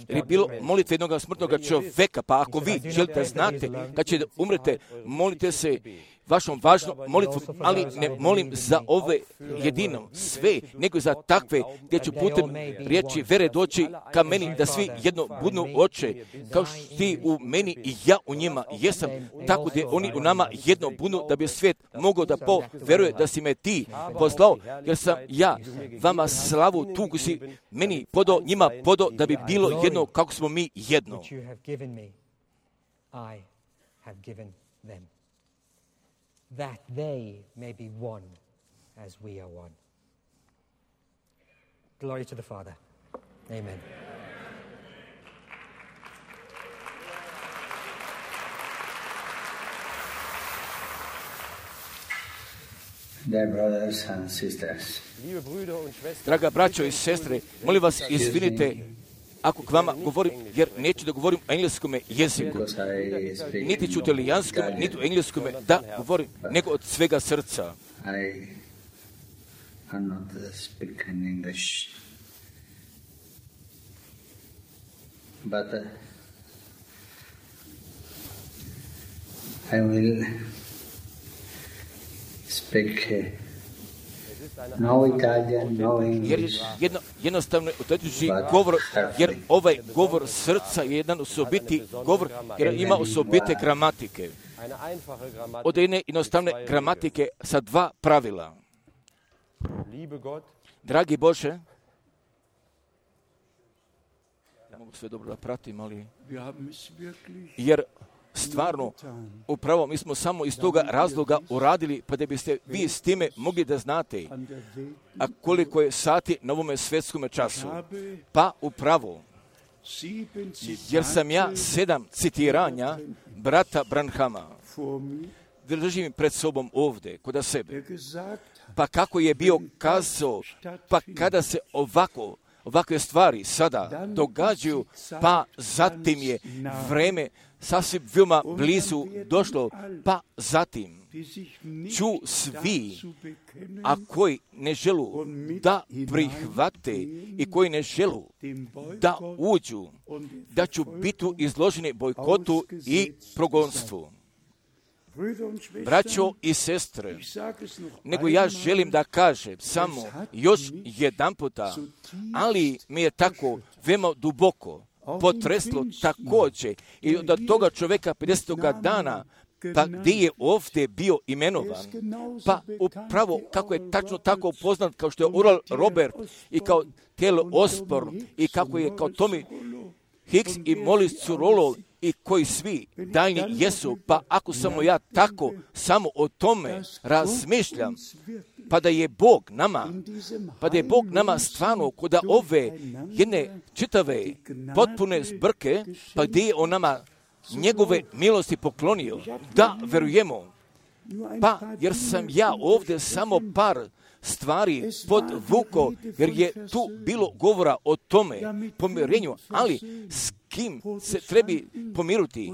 jer je bilo molitve jednog smrtnog čovjeka, pa ako vi želite znate kad će umrete, molite se vašom važnom molitvom, ali ne molim za ove jedino sve, nego za takve gdje ću putem riječi vere doći ka meni, da svi jedno budnu oče, kao što ti u meni i ja u njima jesam, tako gdje oni u nama jedno budnu, da bi svijet mogao da poveruje da si me ti poslao, jer sam ja vama slavu tu koju si meni podao, njima podao, da bi bilo jedno kako smo mi jedno. That they may be one as we are one. Glory to the Father. Amen. Dear brothers and sisters. Draga braćo i sestre, molim vas izvinite ako k vama govorim, jer neću da govorim o engleskom jeziku, niti ću italijanskom, niti u engleskom da govorim, nego od svega srca. I am not speaking English, but uh, I will speak uh, no Italian, no English. Jer jedno, jednostavno utječući govor, jer ovaj govor srca je jedan osobiti govor, jer ima osobite gramatike. Od jedne jednostavne gramatike sa dva pravila. Dragi Bože, ja mogu sve dobro da pratim, ali jer stvarno, upravo mi smo samo iz toga razloga uradili, pa da biste vi s time mogli da znate, a koliko je sati na ovome svjetskome času. Pa upravo, jer sam ja sedam citiranja brata Branhama, držim pred sobom ovdje, kod sebe. Pa kako je bio kazao, pa kada se ovako, ovakve stvari sada događaju, pa zatim je vreme sasvim veoma blizu došlo, pa zatim ću svi, a koji ne želu da prihvate i koji ne želu da uđu, da ću biti izloženi bojkotu i progonstvu. Braćo i sestre, nego ja želim da kažem samo još jedan puta, ali mi je tako veoma duboko potreslo također i od toga čovjeka pedesetoga dana, pa gdje je ovdje bio imenovan, pa upravo kako je tačno tako poznat kao što je Oral Robert i kao Taylor Osborne i kako je kao Tommy Hicks i Molly Surolo i koji svi daljni jesu, pa ako samo ja tako samo o tome razmišljam, pa da je Bog nama, pa da je Bog nama stvarno kod ove jedne čitave potpune zbrke, pa gdje je on nama njegove milosti poklonio, da verujemo. Pa jer sam ja ovdje samo par stvari podvuko, jer je tu bilo govora o tome pomirenju, ali s kim se trebi pomiruti?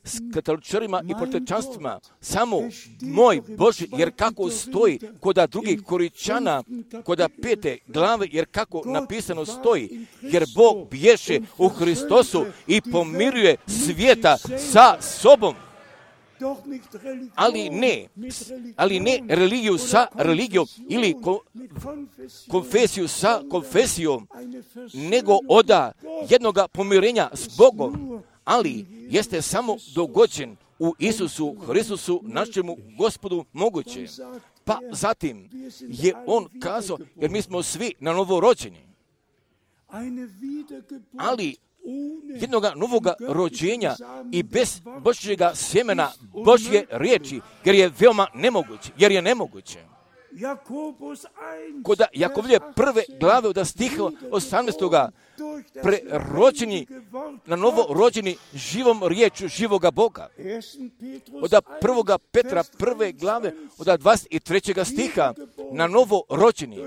S katoličarima i protestantstvima. Samo moj Bože, jer kako stoji koda drugih Koričana, koda pete glave, jer kako napisano stoji, jer Bog bješe u Hristosu i pomiruje svijeta sa sobom. Ali ne, ali ne religiju sa religijom ili ko, konfesiju sa konfesijom, nego oda jednoga pomirenja s Bogom, ali jeste samo dogođen u Isusu Hristusu, našemu Gospodu moguće. Pa zatim je on kazao, jer mi smo svi na novo rođeni, ali jednoga novoga rođenja i bez Božjega sjemena, Božje riječi, jer je veoma nemoguće, jer je nemoguće. Kod Jakovlje prve glave od stiha osamnaestoga prerođeni, na novo rođeni živom riječu živoga Boga. Od prvoga Petra prve glave od dvadeset trećega stiha na novo rođeni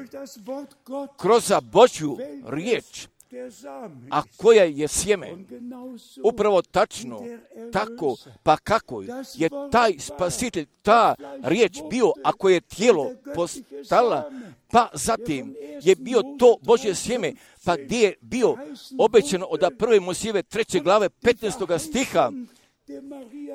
kroz Božju riječ, a koja je sjeme. Upravo tačno, tako, pa kako je taj spasitelj, ta riječ bio, ako je tijelo postala, pa zatim je bio to Božje sjeme, pa gdje je bio obećano od prve Mojsijeve treće glave petnaestoga stiha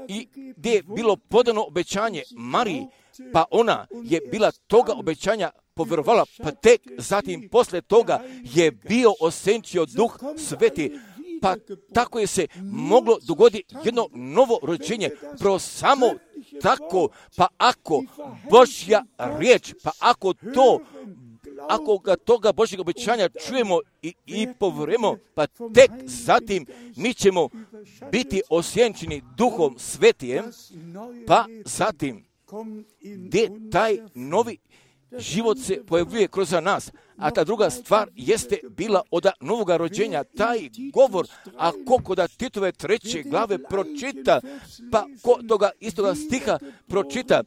i gdje je bilo podano obećanje Mariji, pa ona je bila toga obećanja povjerovala, pa tek zatim posle toga je bio osenčio Duh Sveti, pa tako je se moglo dogoditi jedno novo rođenje, pro samo tako, pa ako Božja riječ, pa ako to, ako ga toga Božjeg obećanja čujemo i, i povjerujemo, pa tek zatim mi ćemo biti osjenčeni Duhom Svetijem, pa zatim gdje taj novi život se pojavljuje kroz nas. A ta druga stvar jeste bila od novoga rođenja, taj govor, a ko koda Titove treće glave pročita, pa ko toga istoga stiha pročita,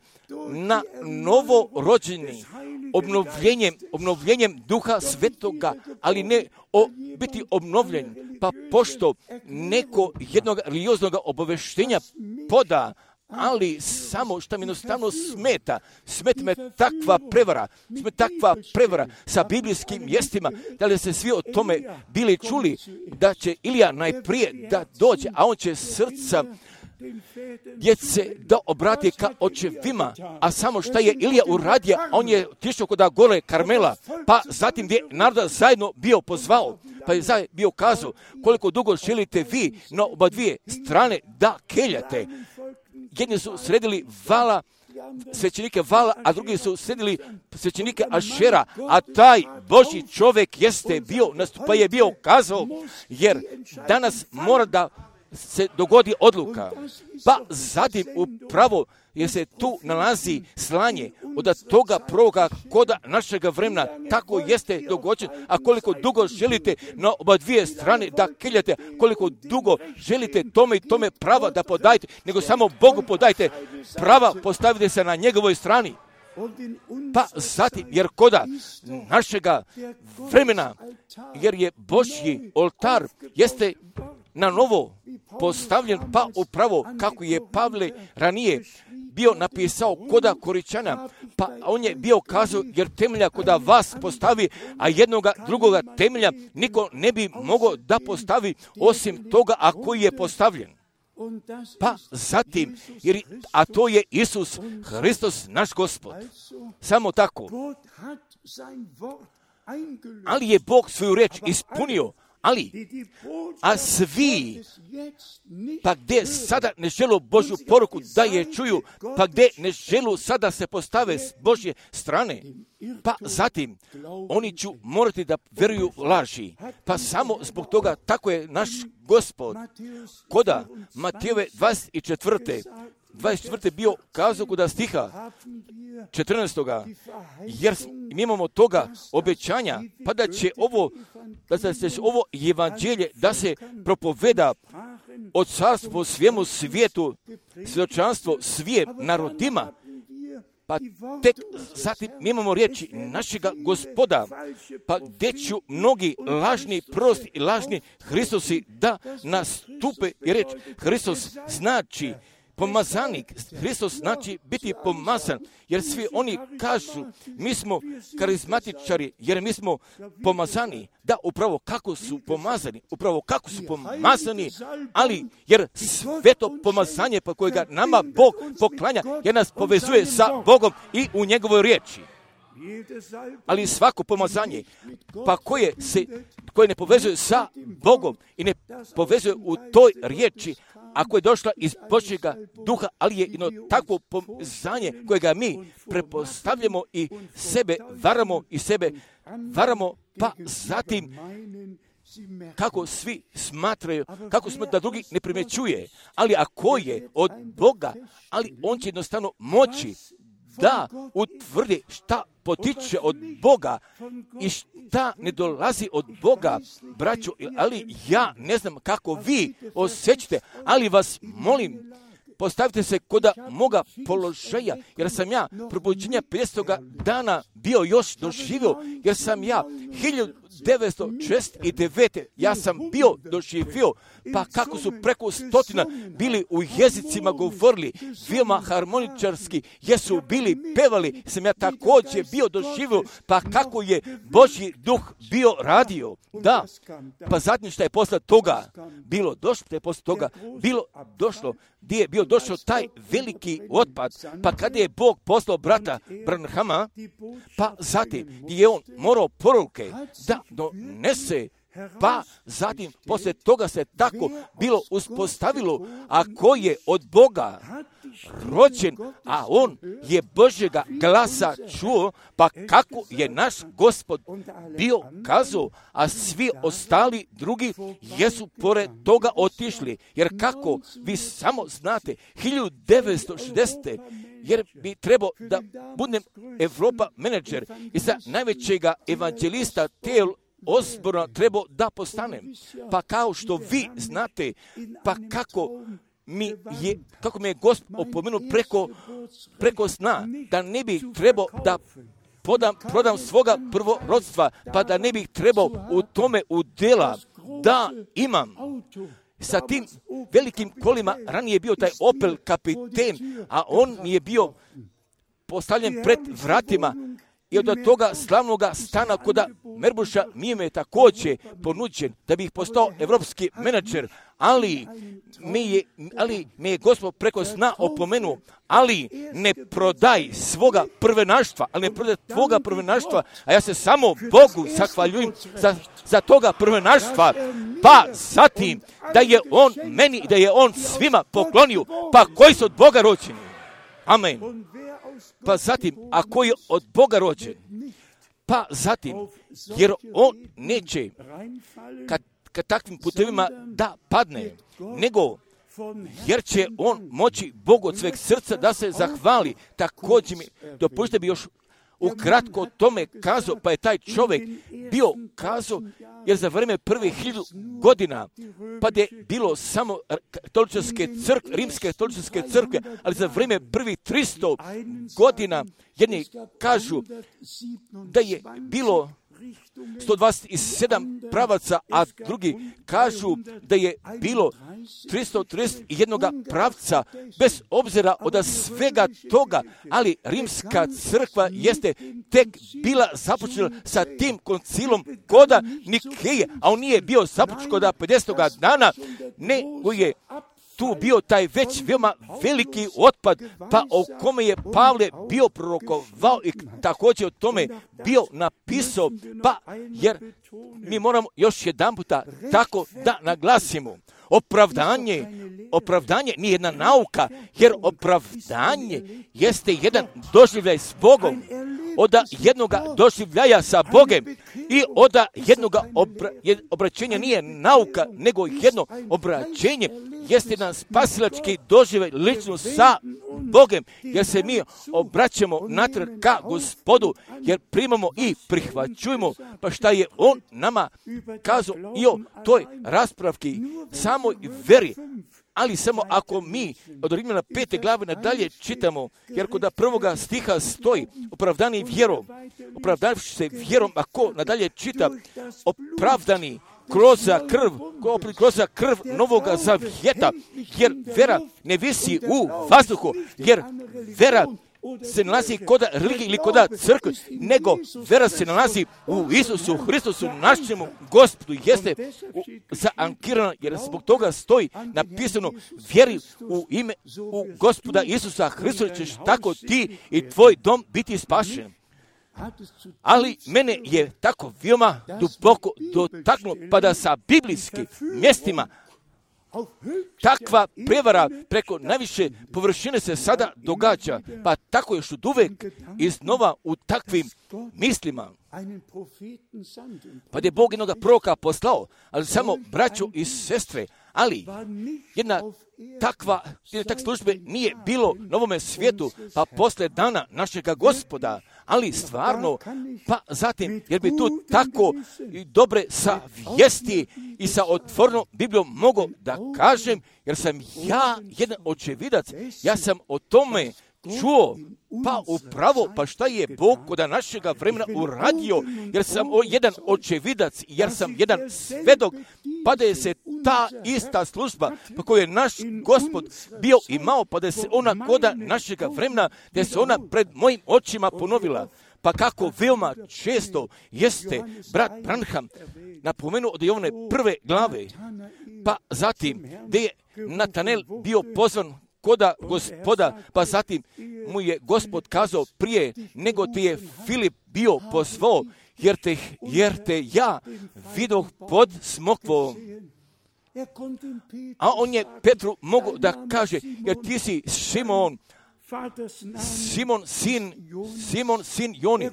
na novo rođeni, obnovljenjem, obnovljenjem Duha Svetoga, ali ne o, biti obnovljen, pa pošto neko jednog religioznog obaveštenja poda, ali samo što mi jednostavno smeta, smeta me takva prevara, smeta takva prevara sa biblijskim mjestima, da li se svi o tome bili čuli, da će Ilija najprije da dođe, a on će srca djece da obrati ka očevima, a samo šta je Ilija uradio, on je otišao kod gore Karmela, pa zatim gdje naroda zajedno bio pozvao, pa je zajedno bio kazao, koliko dugo želite vi na oba dvije strane da keljate. Jedni su sredili vala, svećenike vala, a drugi su sredili svećenike Ašera, a taj Božji čovjek jeste bio, pa je bio kazao, jer danas mora da se dogodi odluka. Pa zatim upravo jer se tu nalazi slanje od toga prvoga koda našega vremena, tako jeste dogođen, a koliko dugo želite na oba dvije strane da keljate, koliko dugo želite tome i tome prava da podajte, nego samo Bogu podajte prava, postavite se na njegovoj strani. Pa zatim, jer koda našega vremena, jer je Božji oltar, jeste na novo postavljen, pa upravo kako je Pavle ranije bio napisao koda Koričana, pa on je bio kazao, jer temelja koda vas postavi, a jednoga drugoga temelja niko ne bi mogao da postavi osim toga, a koji je postavljen. Pa zatim, jer, a to je Isus Hristos, naš Gospod. Samo tako. Ali je Bog svoju reč ispunio, ali, a svi, pa gdje sada ne želu Božju poruku da je čuju, pa gdje ne želu sada se postave s Božje strane, pa zatim oni ću morati da veruju laži. Pa samo zbog toga tako je naš Gospod koda Matejove dvadeset četvrte dvadeset četvrte bio kazao koda stiha četrnaestoga jer mi imamo toga obećanja, pa da će ovo, da se ovo evanđelje da se propoveda od carstvo svijemu svijetu, svjedočanstvo svije narodima, pa tek zatim mi imamo riječi našega Gospoda, pa gdje ću mnogi lažni prosti i lažni Hristosi da nastupe i reći Hristos znači pomazanik, Hristos znači biti pomazan, jer svi oni kažu, mi smo karizmatičari, jer mi smo pomazani. Da, upravo kako su pomazani, upravo kako su pomazani, ali jer sveto pomazanje po kojega nama Bog poklanja, jer nas povezuje sa Bogom i u njegovoj riječi. Ali svako pomazanje, pa koje se, koje ne povezuje sa Bogom i ne povezuje u toj riječi, ako je došla iz Božjega duha, ali je jedno takvo pomazanje kojega mi prepostavljamo i sebe varamo i sebe varamo, pa zatim kako svi smatraju, kako smo da drugi ne primjećuje, ali ako je od Boga, ali on će jednostavno moći da utvrdi šta potiče od Boga i šta ne dolazi od Boga, braćo, ali ja ne znam kako vi osjećate, ali vas molim, postavite se koda moga položaja, jer sam ja probuđenja petstoga dana bio još doživio, jer sam ja hiljadu devetsto šezdeset devete ja sam bio doživio, pa kako su preko stotina bili u jezicima govorili, veoma harmoničarski, jesu bili pevali, sam ja također bio doživio, pa kako je Božji duh bio radio. Da, pa zatim što je posle toga bilo došlo, što je posle toga bilo došlo, gdje je bio došao taj veliki otpad, pa kada je Bog poslao brata Branhama, pa zatim gdje je on morao poruke da donese, pa zatim poslije toga se tako bilo uspostavilo, a ko je od Boga rođen, a on je Božjega glasa čuo, pa kako je naš Gospod bio kazao, a svi ostali drugi jesu pored toga otišli, jer kako vi samo znate, hiljadu devetsto šezdesete jer bi trebao da budem Evropa menadžer i za najvećega evanđelista T L Osborna trebao da postanem. Pa kao što vi znate, pa kako mi je, kako me je Gospod opomenuo preko, preko sna, da ne bih trebao da podam, prodam svoga prvorodstva, pa da ne bih trebao u tome udjela da imam. Sa tim velikim kolima ranije je bio taj Opel kapiten, a on mi je bio postavljen pred vratima i od toga slavnoga stana koda Merbuša mi je također ponuđen da bih postao evropski menadžer, ali mi je, ali mi je Gospod preko sna opomenuo, ali ne prodaj svoga prvenaštva, ali ne prodaj tvoga prvenaštva, a ja se samo Bogu zahvaljujem za, za toga prvenaštva, pa zatim da je on meni i da je on svima poklonio, pa koji su od Boga rođeni. Amen. Pa zatim, ako je od Boga rođen, pa zatim, jer on neće kad, kad takvim putevima da padne, nego jer će on moći Bogu od sveg srca da se zahvali. Također mi dopustite bi još ukratko o tome kazao, pa je taj čovjek bio kazao, jer za vrijeme prvih hiljadu godina, pa je bilo samo katoličke crkve, rimske katoličke crkve, ali za vrijeme prvih tristo godina, jedni kažu da je bilo sto dvadeset sedam pravaca, a drugi kažu da je bilo tristo trideset jedan pravca, bez obzira od svega toga, ali rimska crkva jeste tek bila započela sa tim koncilom koda Nikeje, a on nije bio započet kod pedesetoga dana, nego je tu bio taj već veoma veliki otpad, pa o kome je Pavle bio prorokovao i također o tome bio napisao, pa jer mi moramo još jedan puta tako da naglasimo. Opravdanje, opravdanje nije jedna nauka, jer opravdanje jeste jedan doživljaj s Bogom, od jednoga doživljaja sa Bogem i od jednoga obra, obraćenja nije nauka, nego jedno obraćenje jeste jedan spasilački doživljaj lično sa Bogem, jer se mi obraćamo natrag ka Gospodu, jer primamo i prihvaćujemo, pa šta je On nama kazao i o toj raspravki, samoj veri. Ali samo ako mi od Rimljana pete glave nadalje čitamo, jer kod prvoga stiha stoji opravdani vjerom, opravdavši se vjerom, ako nadalje čita opravdani kroz krv, kroz krv novoga zavjeta, jer vera ne visi u vazduhu, jer vera se nalazi kod religije ili kod crkve, nego vera se nalazi u Isusu Hristusu, našemu Gospodu, jeste zaankirana, jer zbog toga stoji napisano, vjeri u ime u Gospoda Isusa Hristusa, ćeš tako ti i tvoj dom biti spašen. Ali mene je tako veoma duboko dotaknulo, pa da sa biblijskim mjestima takva prevara preko najviše površine se sada događa, pa tako još od uvek iznova u takvim mislima. Pa je Bog jednoga proroka poslao, ali samo braćo i sestre, ali jedna takva, jedna takva službe nije bilo na ovome svijetu, pa posle dana našega Gospoda, ali stvarno, pa zatim, jer bi tu tako i dobre savjesti i sa otvorenom Biblijom mogo da kažem, jer sam ja jedan očevidac, ja sam o tome čuo, pa upravo, pa šta je Bog kod našega vremena uradio, jer sam o jedan očevidac, jer sam jedan svedok, pa da je se ta ista služba, pa koju je naš Gospod bio imao, pa da je se ona kod našega vremena, da je se ona pred mojim očima ponovila. Pa kako veoma često jeste brat Branham napomenuo od Jovane prve glave, pa zatim gdje je Natanel bio pozvan koda Gospoda, pa zatim mu je Gospod kazao prije nego te je Filip bio pozvao, jer te, jer te ja vidoh pod smokvom. A on je Petru mogu da kaže, jer ti si Šimon, Simon sin, Simon sin Joni,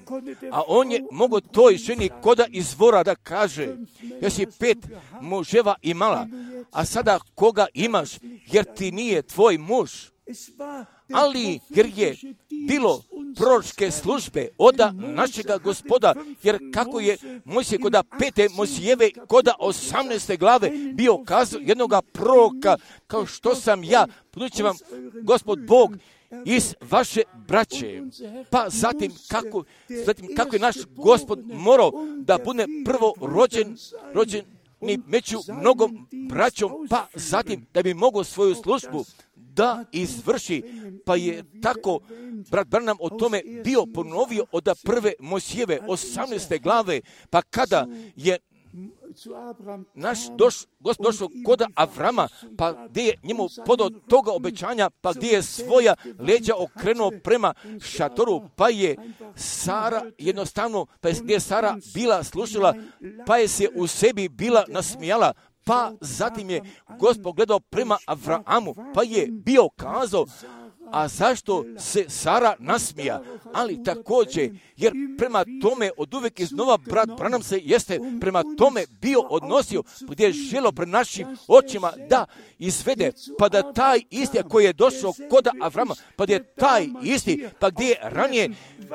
a on je mogo toj ženi koda izvora da kaže, jesi pet muževa imala, a sada koga imaš, jer ti nije tvoj muž. Ali jer je bilo proročke službe oda našega Gospoda, jer kako je Mojsije koda pete Mojsijeve koda osamnaeste glave bio kazao jednoga proroka, kao što sam ja, podući vam Gospod Bog iz vaše braće. Pa zatim kako, zatim kako je naš Gospod morao da bude prvo rođen, rođen ni među mnogom braćom, pa zatim da bi mogao svoju službu da izvrši, pa je tako brat Branham o tome bio ponovio od prve Mojsijeve osamnaeste glave, pa kada je naš doš, Gospod došao kod Avrama, pa gdje je njemu podao toga obećanja, pa gdje je svoja leđa okrenuo prema šatoru, pa je Sara jednostavno, pa je gdje je Sara bila slušala, pa je se u sebi bila nasmijala, pa zatim je Gospod gledao prema Avramu, pa je bio kazao, a zašto se Sara nasmija? Ali također, jer prema tome od uvijek iznova brat Branham se jeste prema tome bio odnosio, gdje je želo pred našim očima da izvede, pa da taj isti koji je došao kod Avrama, pa da je taj isti, pa gdje je ranije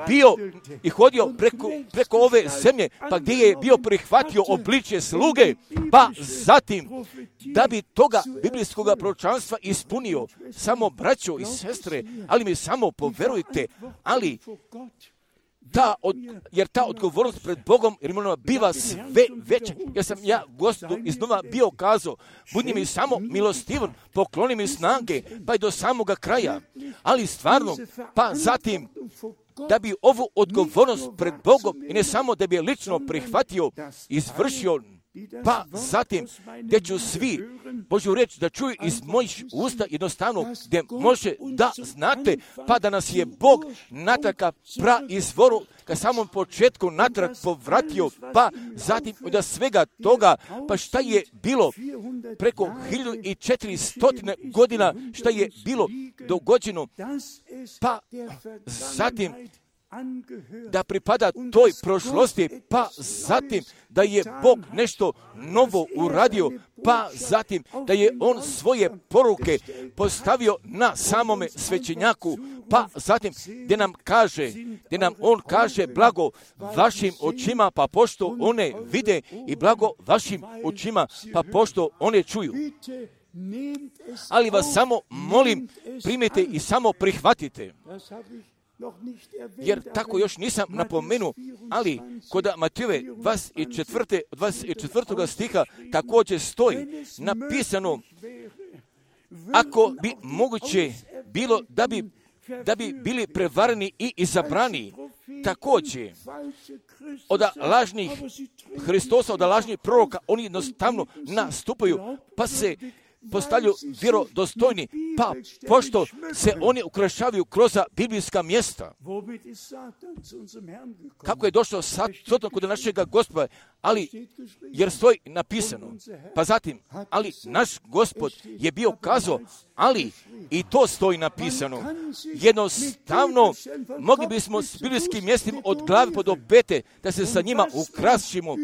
bio i hodio preko, preko ove zemlje, pa gdje je bio prihvatio obličje sluge, pa zatim da bi toga biblijskog proročanstva ispunio, samo braćo i sestre, ali mi samo poverujte, ali ta od, jer ta odgovornost pred Bogom jer ona biva sve veća. Jer sam ja Gospodu iznova bio kazao, budi mi samo milostivan, pokloni mi snage, pa i do samoga kraja. Ali stvarno, pa zatim, da bi ovu odgovornost pred Bogom i ne samo da bi je lično prihvatio, izvršio, pa zatim gdje ću svi Božju riječ da čuju iz mojih usta jednostavno gdje može da znate pa da nas je Bog natrag ka pra izvoru ka samom početku natrag povratio, pa zatim od svega toga, pa šta je bilo preko hiljadu i četiristo godina, šta je bilo dogođeno, pa zatim da pripada toj prošlosti, pa zatim da je Bog nešto novo uradio, pa zatim da je On svoje poruke postavio na samome svećenjaku, pa zatim gdje nam kaže, gdje nam On kaže blago vašim očima, pa pošto one vide i blago vašim očima, pa pošto one čuju. Ali vas samo molim, primite i samo prihvatite. Jer tako još nisam napomenuo, ali kod Matejove dvadeset četvrtog stiha također stoji napisano, ako bi moguće bilo da bi, da bi bili prevareni i izabrani, također od lažnih Hristosa, od lažnih proroka, oni jednostavno nastupaju, pa se postavljaju vjerodostojni, pa pošto se oni ukrašavaju kroz biblijska mjesta. Kako je došao Satan kod našega Gospoda, ali jer stoji napisano. Pa zatim, ali naš Gospod je bio kazao, ali i to stoji napisano. Jednostavno, mogli bismo s biblijskim mjestima od glave pa do pete da se sa njima ukrasimo.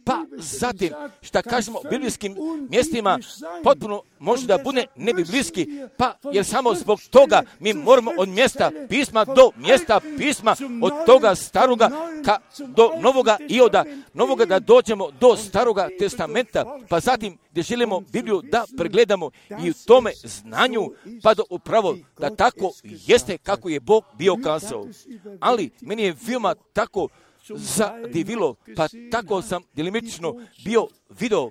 Pa zatim, šta kažemo o biblijskim mjestima, potpuno može da bude nebiblijski, pa jer samo zbog toga mi moramo od mjesta pisma do mjesta pisma, od toga staroga ka do novoga ioda, novoga da dođemo do staroga testamenta, pa zatim gdje želimo Bibliju da pregledamo i u tome znanju, pa do upravo da tako jeste kako je Bog bio kazao. Ali meni je veoma tako zadivilo, pa tako sam delimično bio video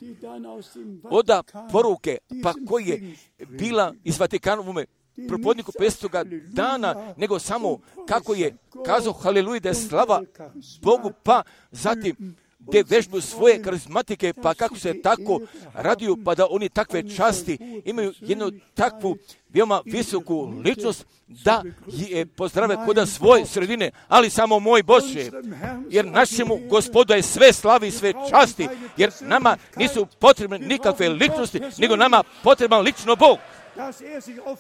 oda poruke, pa koji je bila iz Vatikanovome propodniku petstoga dana, nego samo kako je kazao haleluja da je slava Bogu, pa zatim gdje vežbu svoje karizmatike, pa kako se tako raduju, pa da oni takve časti imaju jednu takvu veoma visoku ličnost, da je pozdrave kod svoje sredine, ali samo moj Bože, jer našemu Gospodu je sve slavi i sve časti, jer nama nisu potrebne nikakve ličnosti, nego nama potreban lično Bog.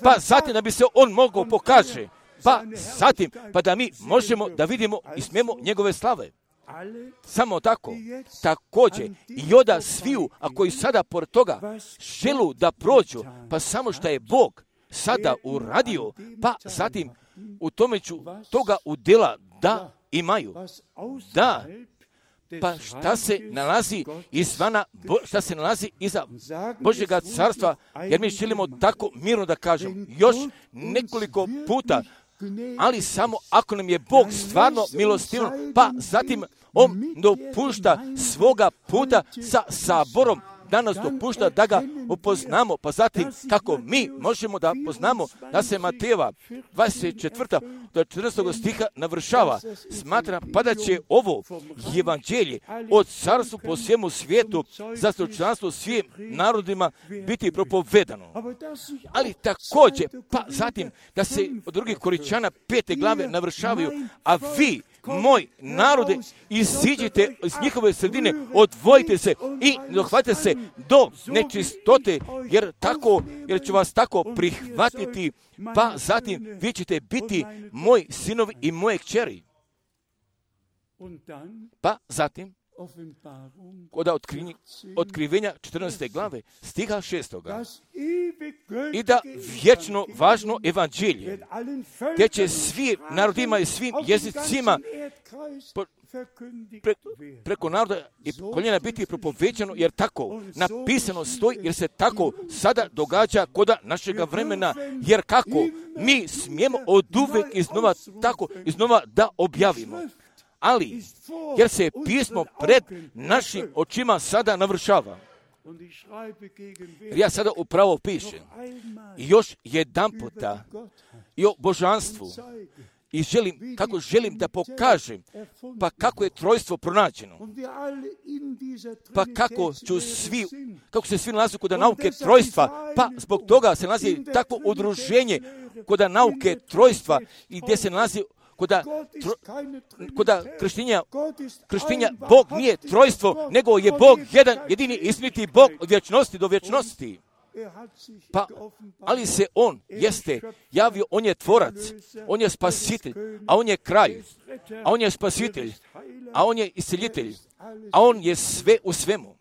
Pa zatim da bi se On mogao pokaže, pa zatim pa da mi možemo da vidimo i smijemo njegove slave. Samo tako, također i oda sviju, a koji sada pored toga želu da prođu, pa samo što je Bog sada uradio, pa zatim u tome ću toga udjela da imaju. Da, pa šta se nalazi izvana, šta se nalazi iza Božjega carstva, jer mi želimo tako mirno da kažem još nekoliko puta, ali samo ako nam je Bog stvarno milostivan, pa zatim On dopušta svoga puta sa saborom, da nas dopušta da ga upoznamo, pa zatim kako mi možemo da poznamo da se Matejeva dvadeset četvrta do četrnaestog stiha navršava. Smatram pa da će ovo evanđelje od carstva po svijemu svijetu za stočanstvo svim narodima biti propovedano. Ali također, pa zatim da se od drugih Koričana pete glave navršavaju, a vi, moj narode, iziđite iz njihove sredine, odvojite se i dohvatite se do nečistote, jer tako, jer ću vas tako prihvatiti, pa zatim vi ćete biti moji sinovi i moje kćeri. Pa zatim, kod otkrivenja četrnaeste glave, stiha šestoga, i da vječno važno evanđelje, gdje će svi narodima i svim jezicima po, pre, preko naroda i koljena biti propovećano, jer tako napisano stoji, jer se tako sada događa kod našega vremena, jer kako mi smijemo od uvek iznova tako iznova da objavimo. ali jer se pismo pred našim očima sada navršava. Jer ja sada upravo pišem i još jedan puta i o božanstvu i želim, kako želim da pokažem, pa kako je trojstvo pronađeno, pa kako ću svi, kako se svi nalazi kod nauke trojstva, pa zbog toga se nalazi takvo udruženje kod nauke trojstva i gdje se nalazi Koda, tro, koda krštenja, krštenja Bog nije trojstvo, nego je Bog jedan, jedini istiniti Bog od vječnosti do vječnosti. Pa, ali se On jeste javio, On je tvorac, On je spasitelj, a On je kraj, a On je spasitelj, a On je isceljitelj, a On je sve u svemu.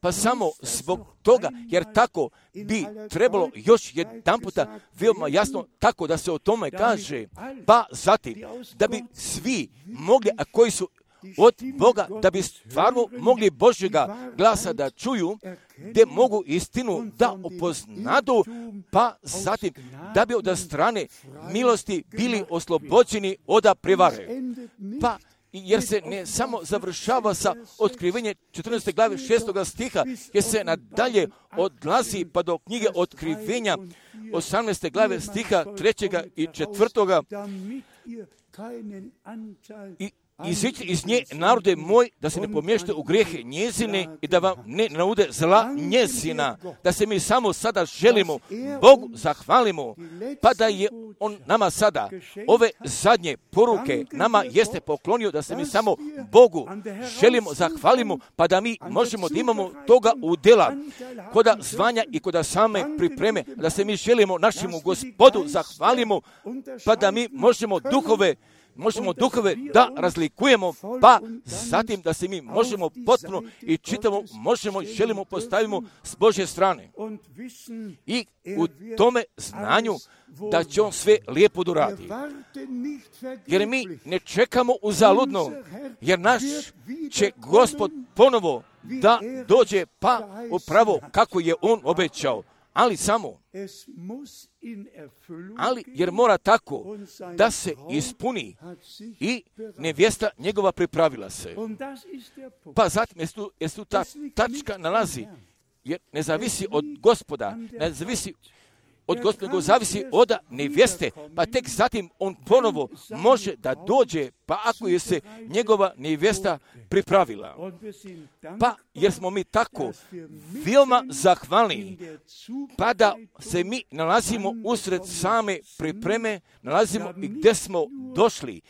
Pa samo zbog toga, jer tako bi trebalo još jedan puta veoma jasno tako da se o tome kaže, pa zatim da bi svi mogli, a koji su od Boga, da bi stvarno mogli Božjega glasa da čuju, gdje mogu istinu da upoznadu, pa zatim da bi od strane milosti bili oslobođeni od prevare. Pa jer se ne samo završava sa otkrivenjem četrnaeste glave šestoga stiha, jer se nadalje odlazi pa do knjige Otkrivenja osamnaeste glave stiha trećega i četvrtoga. I iziđite iz nje, narode moj, da se ne pomješte u grijehe njezine i da vam ne naude zla njezina, da se mi samo sada želimo Bogu zahvalimo, pa da je On nama sada ove zadnje poruke nama jeste poklonio, da se mi samo Bogu želimo zahvalimo, pa da mi možemo da imamo toga udjela koda zvanja i koda same pripreme, da se mi želimo našemu Gospodu zahvalimo, pa da mi možemo duhove možemo duhove da razlikujemo, pa zatim da se mi možemo potpuno i čitamo, možemo i želimo postavimo s Božje strane. I u tome znanju da će On sve lijepo doradi. Jer mi ne čekamo uzaludno, jer naš će Gospod ponovo da dođe, pa upravo kako je On obećao. Ali samo, ali jer mora tako da se ispuni i nevjesta njegova pripravila se. Pa zatim je tu, je tu ta tačka nalazi, jer ne zavisi od Gospoda, ne zavisi od Gospoda, nego zavisi od nevjeste, pa tek zatim on ponovo može da dođe, pa ako je se njegova nevjesta pripravila. Pa jer smo mi tako veoma zahvalni, pa da se mi nalazimo usred same pripreme, nalazimo i gdje smo došli.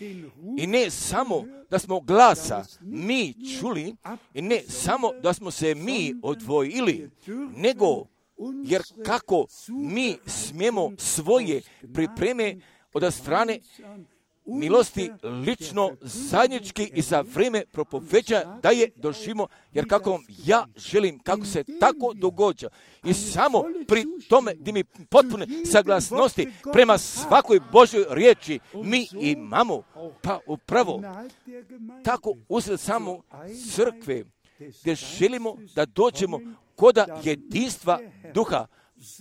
I ne samo da smo glasa mi čuli, i ne samo da smo se mi odvojili, nego jer kako mi smijemo svoje pripreme od strane milosti lično, zajednički i za vrijeme propoveđa da je doživimo, jer kako ja želim, kako se tako događa. I samo pri tome gdje mi potpune saglasnosti prema svakoj Božoj riječi mi imamo, pa upravo tako usred samo crkve gdje želimo da dođemo koda jedinstva duha,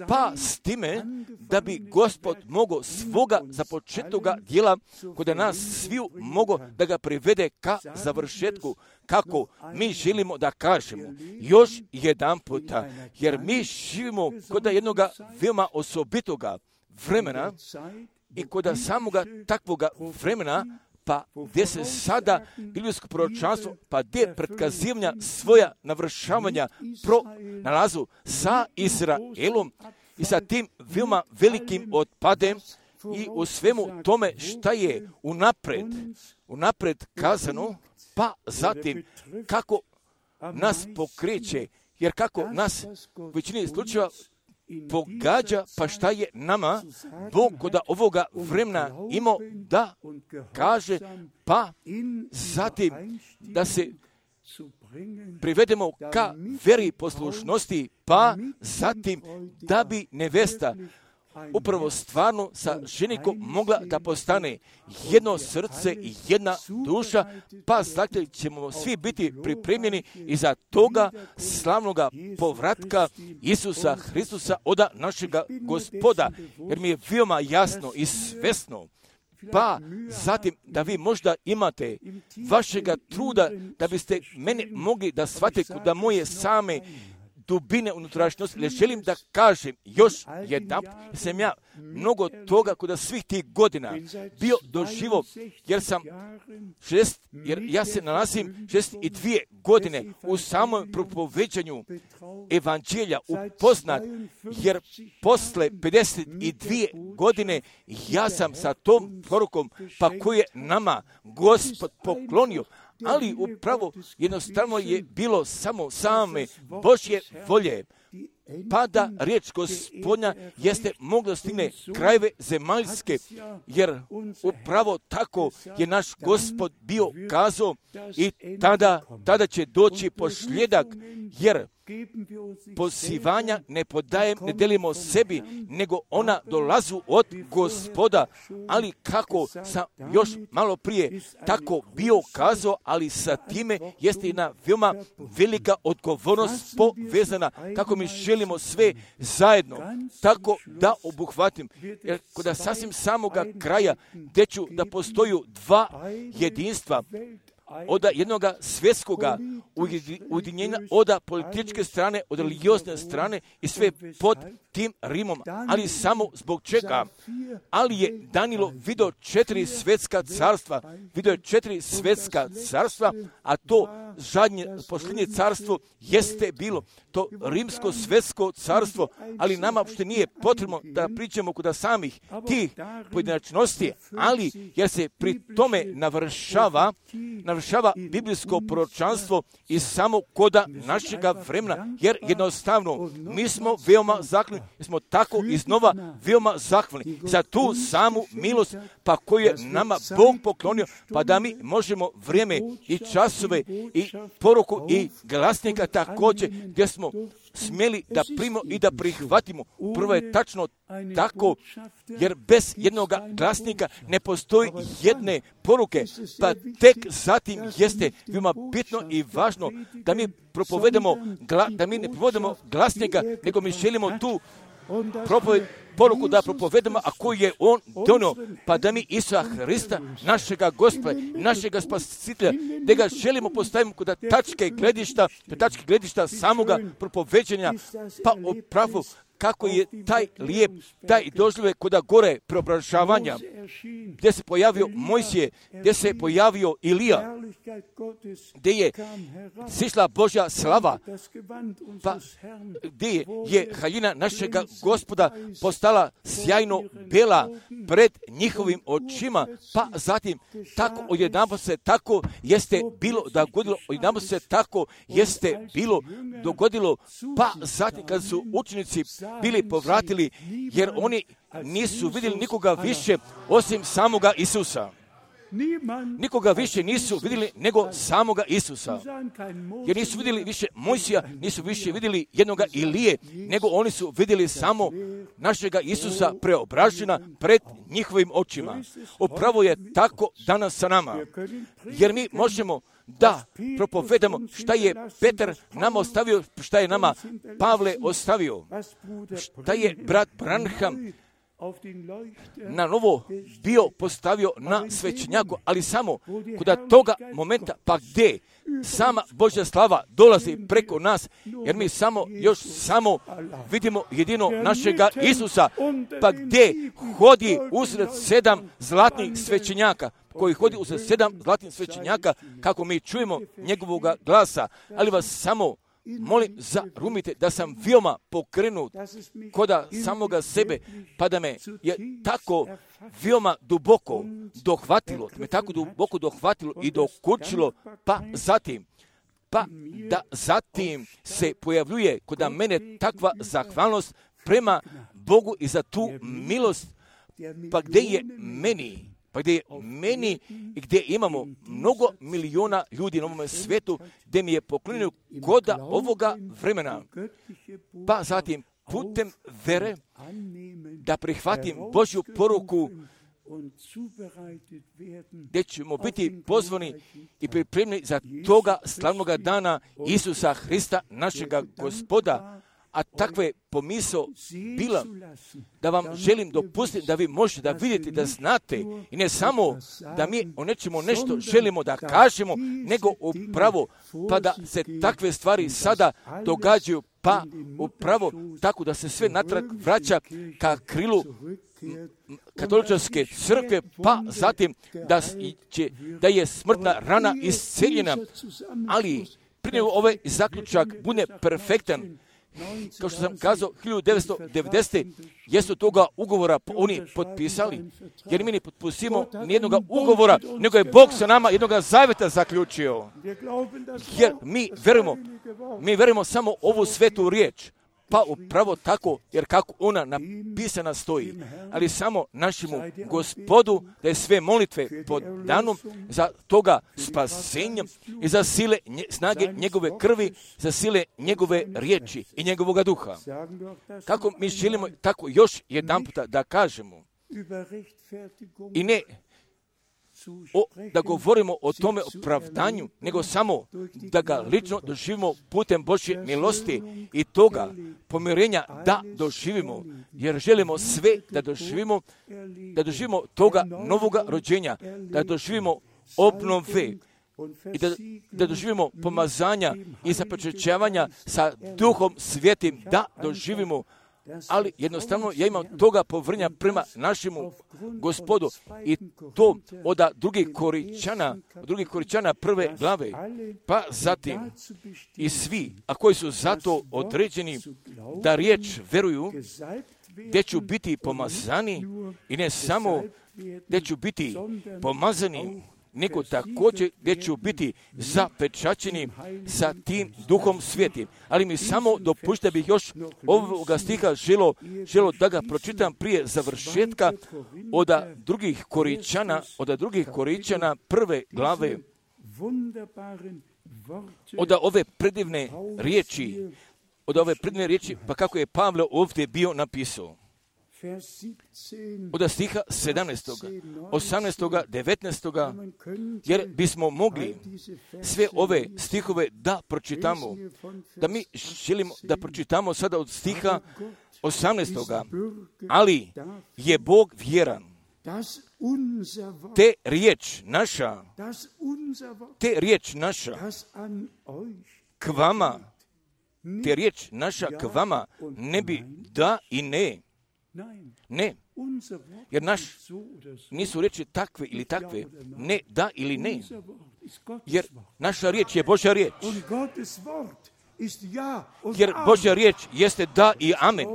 pa s time da bi Gospod mogao svoga započetoga djela koda nas sviju mogo da ga privede ka završetku, kako mi želimo da kažemo još jedan puta, jer mi živimo koda jednoga veoma osobitoga vremena i koda samoga takvoga vremena, pa gdje se sada biblijsko proročanstvo, pa gdje pretkazivanja svoja navršavanja pro nalazu sa Izraelom i sa tim veoma velikim otpadem i u svemu tome šta je unapred, unapred kazano, pa zatim kako nas pokreće, jer kako nas u većini slučajeva pogađa, pa šta je nama Bog kod ovoga vremena imao da kaže, pa zatim da se privedemo ka veri poslušnosti, pa zatim da bi nevesta upravo stvarno sa ženikom mogla da postane jedno srce i jedna duša, pa zato ćemo svi biti pripremljeni i za toga slavnoga povratka Isusa Hristusa od našega Gospoda, jer mi je veoma jasno i svesno pa zatim da vi možda imate vašega truda da biste mene mogli da shvatite da moje same dubine unutrašnjosti. Ne želim da kažem još jedan, sam ja mnogo toga kod svih tih godina bio doživo, jer sam šest, jer ja se nalazim šest i dvije godine u samom propoveđanju evanđelja upoznat, jer posle pedeset dvije godine ja sam sa tom porukom, pa koju je nama Gospod poklonio, ali upravo jednostavno je bilo samo same Božje volje, pa da riječ Gospodnja jeste mogla stigne krajeve zemaljske, jer upravo tako je naš Gospod bio kazao i tada, tada će doći posljedak, jer pozivanja ne podajem, ne delimo sebi, nego ona dolazu od Gospoda, ali kako sam još malo prije tako bio kazao, ali sa time jeste jedna veoma velika odgovornost povezana, kako mi želimo sve zajedno, tako da obuhvatim, jer kod sasvim samoga kraja, gdje ću da postoju dva jedinstva, od jednoga svjetskoga ujedinjenja, od političke strane, od religiozne strane i sve pod tim Rimom, ali samo zbog čega? Ali je Danilo vidio četiri svjetska carstva, vidio je četiri svjetska carstva, a to zadnje, posljednje carstvo jeste bilo to rimsko svjetsko carstvo, ali nama uopšte nije potrebno da pričamo kod samih tih pojedinačnosti, ali jer se pri tome navršava, navršava biblijsko proročanstvo i samo koda našega vremena, jer jednostavno mi smo veoma zahvalni, smo tako iznova veoma zahvalni za tu samu milost, pa koju je nama Bog poklonio, pa da mi možemo vrijeme i časove i poruku i glasnika također, gdje smo smjeli da primimo i da prihvatimo. Prvo je tačno tako, jer bez jednog glasnika ne postoji jedne poruke, pa tek zatim jeste veoma bitno i važno da mi propovedemo, da mi ne propovedemo glasnika, nego mi želimo tu propoved, poruku da propovedamo, a koju je on donio, pa da mi Isusa Hrista, našega Gospoda, našega Spasitelja, da ga želimo postaviti kod tačke gledišta, tačke gledišta samoga propoveđenja, pa upravo kako je taj lijep, taj doživljaj kod gore preobražavanja, gdje se pojavio Mojsije, gdje se pojavio Ilija, gdje je sišla Božja slava, pa gdje je haljina našega Gospoda postala sjajno bela pred njihovim očima, pa zatim tako odjedanput se tako jeste bilo dogodilo, odjedanput se tako jeste bilo dogodilo, pa zatim kad su učenici bili povratili, jer oni nisu vidjeli nikoga više osim samoga Isusa. Nikoga više nisu vidjeli nego samoga Isusa. Jer nisu vidjeli više Mojsija, nisu više vidjeli jednoga Ilije, nego oni su vidjeli samo našega Isusa preobražena pred njihovim očima. Upravo je tako danas sa nama. Jer mi možemo da propovedamo šta je Petar nama ostavio, šta je nama Pavle ostavio, šta je brat Branham na novo bio postavio na svećenjaku, ali samo kod toga momenta, pa gdje sama Božja slava dolazi preko nas, jer mi samo, još samo vidimo jedino našega Isusa, pa gdje hodi usred sedam zlatnih svećenjaka, koji hodi usred sedam zlatnih svećenjaka, kako mi čujemo njegovog glasa, ali vas samo molim, zarumite da sam veoma pokrenut koda samoga sebe, pa da me je tako veoma duboko dohvatilo, da me tako duboko dohvatilo i dokučilo, pa zatim, pa da zatim se pojavljuje kod mene takva zahvalnost prema Bogu i za tu milost, pa gdje je meni, pa gdje je meni i gdje imamo mnogo miliona ljudi na ovom svijetu, gdje mi je poklonio koda ovoga vremena, pa zatim putem vere da prihvatim Božju poruku, gdje ćemo biti pozvani i pripremljeni za toga slavnoga dana Isusa Hrista, našega Gospoda, a takve pomisao bila da vam želim dopustiti da vi možete da vidite, da znate i ne samo da mi o nečemu nešto želimo da kažemo, nego upravo pa da se takve stvari sada događaju, pa upravo tako da se sve natrag vraća ka krilu katoličke crkve, pa zatim da, će, da je smrtna rana isceljena, ali prije ovaj zaključak bude perfektan. Kao što sam kazao, hiljadu devetsto devedesete jesu toga ugovora oni potpisali, jer mi ne potpisimo nijednog ugovora, nego je Bog sa nama jednog zavjeta zaključio. Jer mi verujemo, mi verujemo samo ovu svetu riječ, pa upravo tako, jer kako ona napisana stoji, ali samo našemu Gospodu da je sve molitve pod danom za toga spasenja i za sile nje, snage njegove krvi, za sile njegove riječi i njegovoga duha. Kako mi želimo tako još jedan puta da kažemo i ne O, da govorimo o tome opravdanju, nego samo da ga lično doživimo putem Božje milosti i toga pomirenja da doživimo, jer želimo sve da doživimo, da doživimo toga novoga rođenja, da doživimo obnove i da, da doživimo pomazanja i započećavanja sa Duhom Svetim, da doživimo. Ali jednostavno ja imam toga povrnja prema našemu Gospodu i to od drugih Koričana, od drugih Koričana prve glave, pa zatim i svi, a koji su zato određeni da riječ veruju, gdje ću biti pomazani i ne samo gdje ću biti pomazani, nego također gdje ću biti zapečaćeni sa tim Duhom Svetim. Ali mi samo dopušte bih još ovoga stiha želo, želo da ga pročitam prije završetka od drugih Koričana, od drugih Koričana prve glave, od ove predivne riječi, od ove predivne riječi, pa kako je Pavle ovdje bio napisao. Od stiha sedamnaestog, osamnaestog, devetnaestog, jer bismo mogli sve ove stihove da pročitamo, da mi želimo da pročitamo sada od stiha osamnaestog. Ali je Bog vjeran. Te riječ naša, te riječ naša k vama, te riječ naša k vama ne bi da i ne. Ne, jer naš nisu riječi takve ili takve, ne, da ili ne, jer naša riječ je Božja riječ, jer Božja riječ jeste da i amen,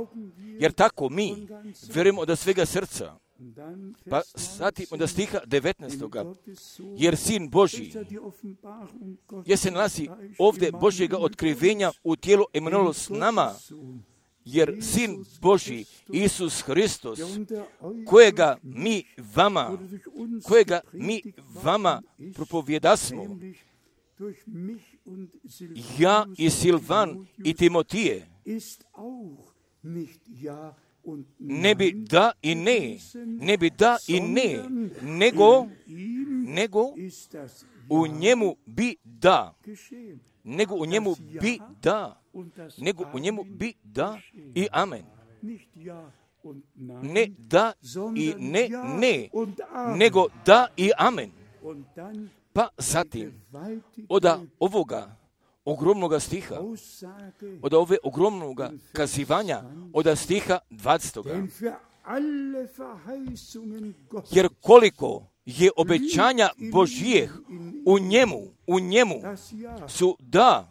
jer tako mi vjerujemo od svega srca. Pa zatim od stiha devetnaestog. Jer Sin Božji, jer se nalazi ovdje Božjega otkrivenja u tijelu Emanuelo s nama, jer Sin Božji, Isus Hristos, kojega mi vama, kojega mi vama propovjedasmo, ja i Silvan i Timotije, ne bi da i ne, ne bi da i ne, nego, nego u njemu bi da, nego u njemu bi da, nego u njemu bi da i amen. Ne da i ne, ne, nego da i amen. Pa zatim, od ovoga ogromnoga stiha, od ove ogromnoga kazivanja, od stiha dvadesetog. Jer koliko je obećanja Božjih u njemu, u njemu su da,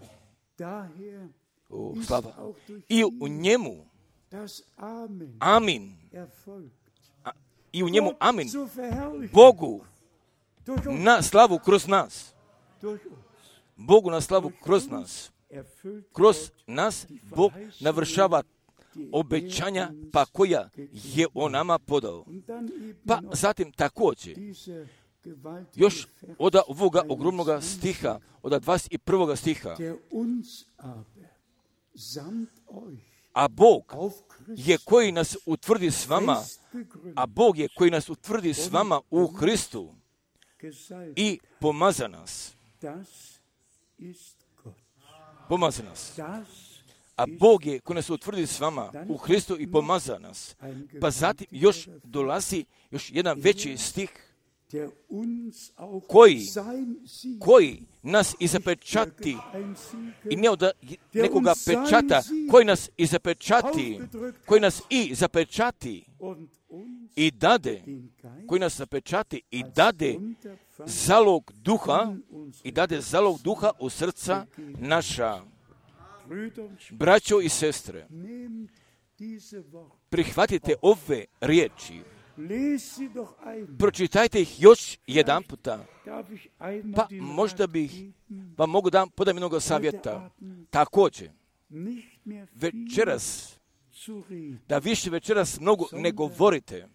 o, slava, i u njemu, amin, A, i u njemu, amin, Bogu na slavu kroz nas, Bogu na slavu kroz nas, kroz nas Bog navršava obećanja pa koja je on nama podao. Pa zatim također, još od ovoga ogromnoga stiha, od dvadeset prvog stiha, a Bog je koji nas utvrdi s vama, a Bog je koji nas utvrdi s vama u Hristu i pomaza nas. Pomaza nas. a Bog je koji nas utvrdi s vama u Hristu i pomaza nas. Pa zatim još dolazi još jedan veći stih koji, koji nas i zapečati i ne od nekoga pečata, koji nas i zapečati, koji nas i zapečati i dade, koji nas zapečati i dade zalog duha i dade zalog duha u srca naša. Braćo i sestre, prihvatite ove riječi, pročitajte ih još jedan puta, pa možda bih vam mogu da podam jednog savjeta. Također, večeras, da više večeras mnogo ne govorite,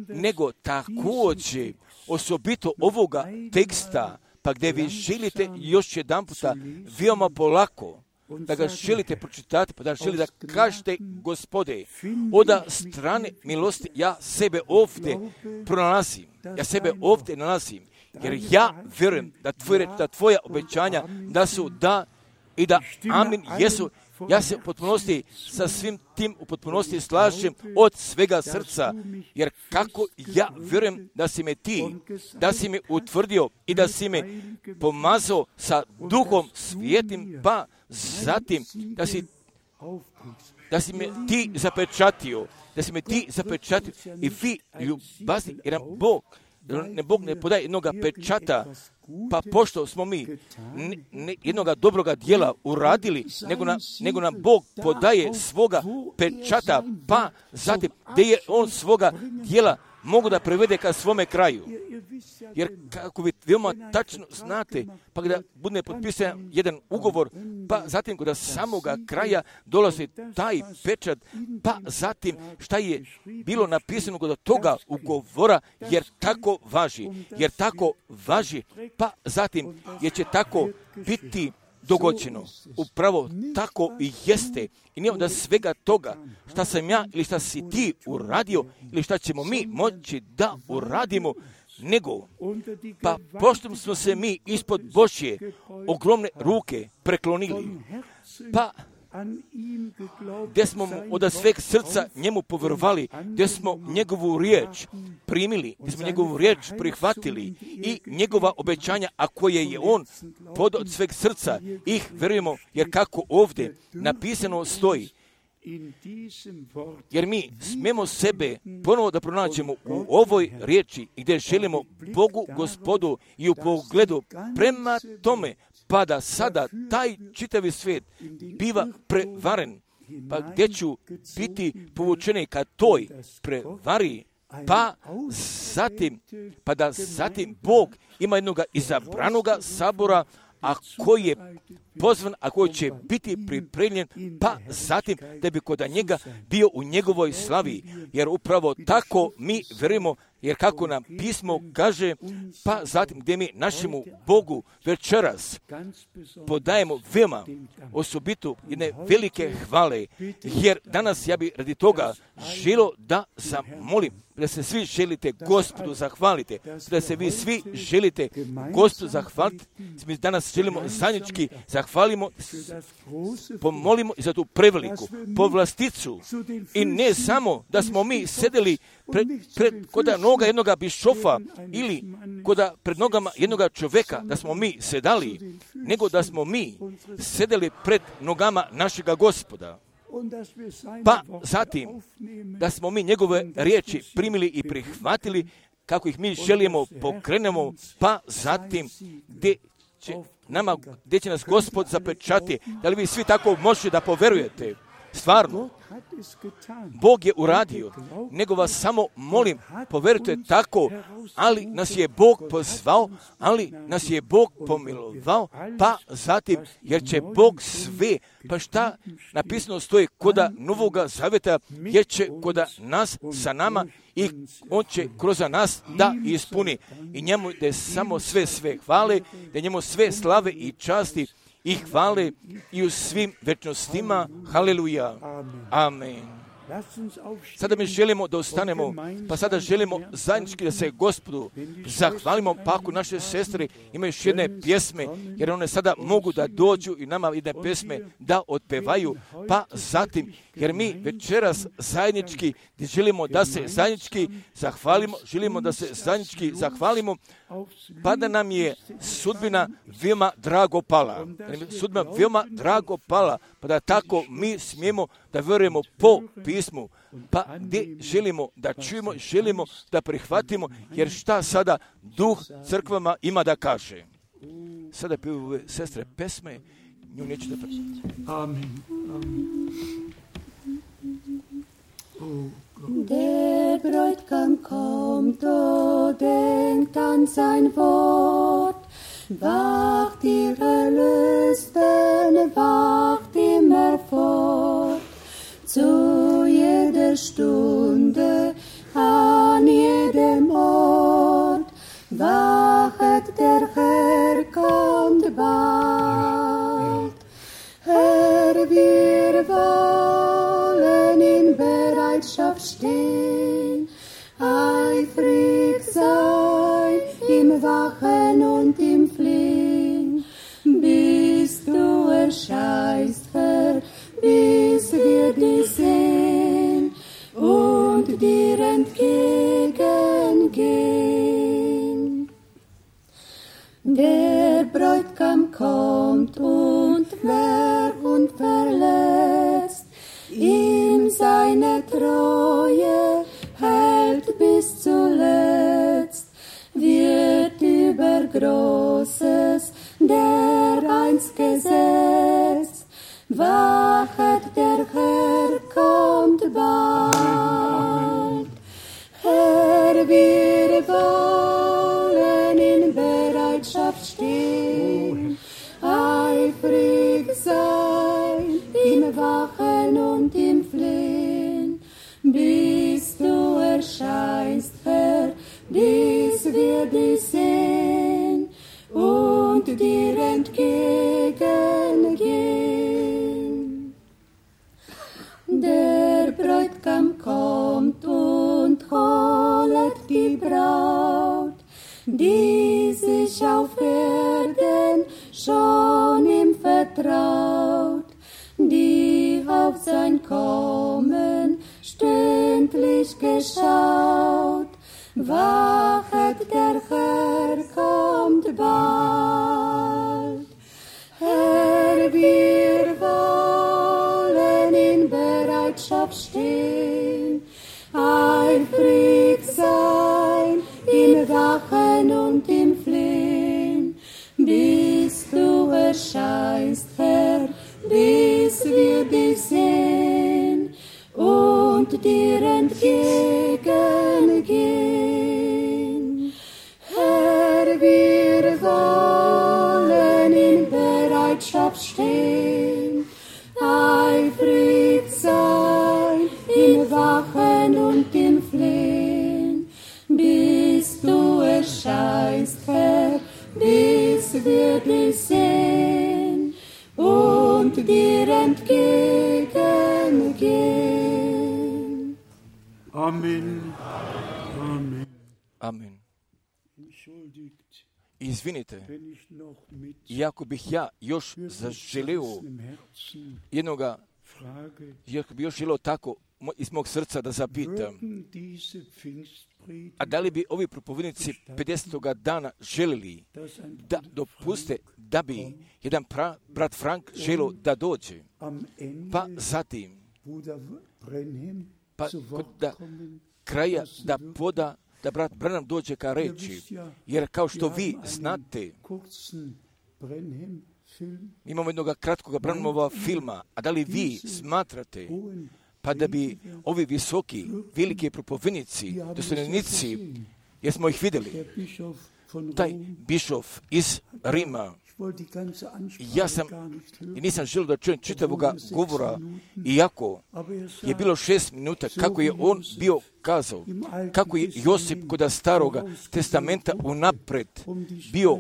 nego također osobito ovoga teksta, pa gdje vi želite još jedan puta veoma polako, da ga želite pročitati, pa da želite da kažete, Gospode, od strane milosti ja sebe ovdje pronalazim, ja sebe ovdje nalazim, jer ja vjerujem da tvoje, da tvoja obećanja da su da i da amin jesu. Ja se u potpunosti sa svim tim u potpunosti slažem od svega srca, jer kako ja vjerujem da si me ti, da si me utvrdio i da si me pomazao sa duhom svijetim, pa zatim da si, da si me ti zapečatio, da si me ti zapečatio i vi ljubazni, jer nam Bog, ne Bog ne podaje jednoga pečata, pa pošto smo mi ne, ne, jednoga dobroga djela uradili, nego, na, nego nam Bog podaje svoga pečata, pa zatim gdje je on svoga djela mogu da prevede ka svome kraju. Jer kako vi veoma tačno znate, pa kada bude potpisan jedan ugovor, pa zatim kada samoga kraja dolazi taj pečat, pa zatim šta je bilo napisano kod toga ugovora, jer tako važi, jer tako važi, pa zatim jer će tako biti dogođeno. Upravo tako i jeste. I nije onda svega toga šta sam ja ili šta si ti uradio ili šta ćemo mi moći da uradimo, nego pa pošto smo se mi ispod Božje ogromne ruke preklonili, pa gdje smo mu od sveg srca njemu povjerovali, gdje smo njegovu riječ primili, gdje smo njegovu riječ prihvatili i njegova obećanja, a koje je on pod od sveg srca, ih vjerujemo, jer kako ovdje napisano stoji, jer mi smemo sebe ponovo da pronađemo u ovoj riječi gdje želimo Bogu Gospodu i u pogledu prema tome, pa da sada taj čitavi svijet biva prevaren, pa gdje ću biti povučeni ka toj prevari, pa zatim, pa da zatim Bog ima jednoga izabranoga sabora, a koji je pozvan, a koji će biti pripremljen, pa zatim da bi kod njega bio u njegovoj slavi, jer upravo tako mi vjerujemo, jer kako nam pismo kaže, pa zatim gdje mi našemu Bogu večeras podajemo veoma osobito jedne velike hvale, jer danas ja bi radi toga želio da zamolim, da se svi želite Gospodu zahvalite, da se vi svi želite Gospodu zahvaliti, mi danas želimo zajednički zahvalimo, pomolimo za tu preveliku povlasticu i ne samo da smo mi sedeli pred, pred kod noga jednoga bišofa ili kod pred nogama jednoga čovjeka da smo mi sedali, nego da smo mi sedeli pred nogama našega Gospoda. Pa zatim da smo mi njegove riječi primili i prihvatili kako ih mi želimo pokrenemo, pa zatim gdje će nama, gdje će nas Gospod zapečati. Da li vi svi tako možete da poverujete? Stvarno, Bog je uradio, nego vas samo molim, poverujte tako, ali nas je Bog pozvao, ali nas je Bog pomilovao, pa zatim, jer će Bog sve, pa šta napisano stoji koda Novoga Zaveta, jer će koda nas sa nama i on će kroz nas da ispuni. I njemu da je samo sve sve hvale, da njemu sve slave i časti i hvale i u svim večnostima. Haleluja. Amen. Sada mi želimo da ustanemo, pa sada želimo zajednički da se Gospodu zahvalimo, pa ako naše sestre imaju još jedne pjesme, jer one sada mogu da dođu i nama jedne pjesme da otpevaju, pa zatim, jer mi večeras zajednički želimo da se zajednički zahvalimo, želimo da se zajednički zahvalimo, pa da nam je sudbina veoma drago pala. Sudbina veoma drago pala, pa da tako mi smijemo da vjerujemo po pismu, pa gdje želimo da čujemo, želimo da prihvatimo, jer šta sada duh crkvama ima da kaže. Sada piju sestre pesme, nju neću da prihvatiti. Amen. Amen. Oh, der Bräutigam kommt, o denkt an sein Wort, wacht ihr Erlösten, wacht immer fort, zu jeder Stunde, an jedem Ort, wachet der Herr kommt bald. Herr, wir wollen in Bereitschaft stehen, eifrig sein im Wachen und im Flehen, bis du erscheinst, Herr, bis wir dich sehen und dir entgegengehen. Der Bräutigam kommt und wer und verlässt ihm seine Treue hält bis zuletzt, wird über Großes dereinst gesetzt, wachet der Herr kommt bald. Herr, wir wollen in Bereitschaft stehen, eifrig sein im Wachen und im Flehen, bis du erscheinst, Herr, bis wir dich sehen und dir entgegengehen. Der Bräutigam kommt und holet die Braut, die sich auf Erden schon ihm vertraut, die auf sein Kommen stündlich geschaut, wachet der Herr kommt bald. Herr, wir wollen in Bereitschaft stehen, eifrig sein im Wachen und im Flehen, bis du erscheinst, Herr, bis wir dich sehen und dir entgegengehen. Herr, wir wollen in Bereitschaft stehen, eifrig sein im Wachen und im Flehen, bis du erscheinst, Herr, bis wir dich sehen und dir entgegengehen. Amen. Amen. Amen. Entschuldigt, Izvinite, wenn ich noch mit iako bih ja još zaželio zerrissenem Herzen jednoga, frage, iako bih još želio tako mo- iz mog srca da zapitam, würden diese Pfingstpredigt, a da li bi ovi propovednici pedesetoga dana želili dass ein da dopuste da bi jedan pra, brat Frank želio da dođe, am Ende pa zatim Bruder Brenhem pa zu kod Wort da kommen, kraja da poda da brat Branham dođe ka reči, jer kao što vi znate, kurzen Brenhem Film, imamo jednog kratkog Branhamova filma, a da li vi smatrate hohen pa da bi ovi visoki, veliki propovednici, dostojanstvenici, jer smo ih vidjeli, der Bischof von taj Rom, bišov iz Rima, ich wollte die ganze Ansprache ja sam gar nicht i hören, nisam želio da čujem čitavoga govora, iako aber er je sagt, bilo šest minuta kako je on bio kazao, kako je Josip kod staroga testamenta unapred bio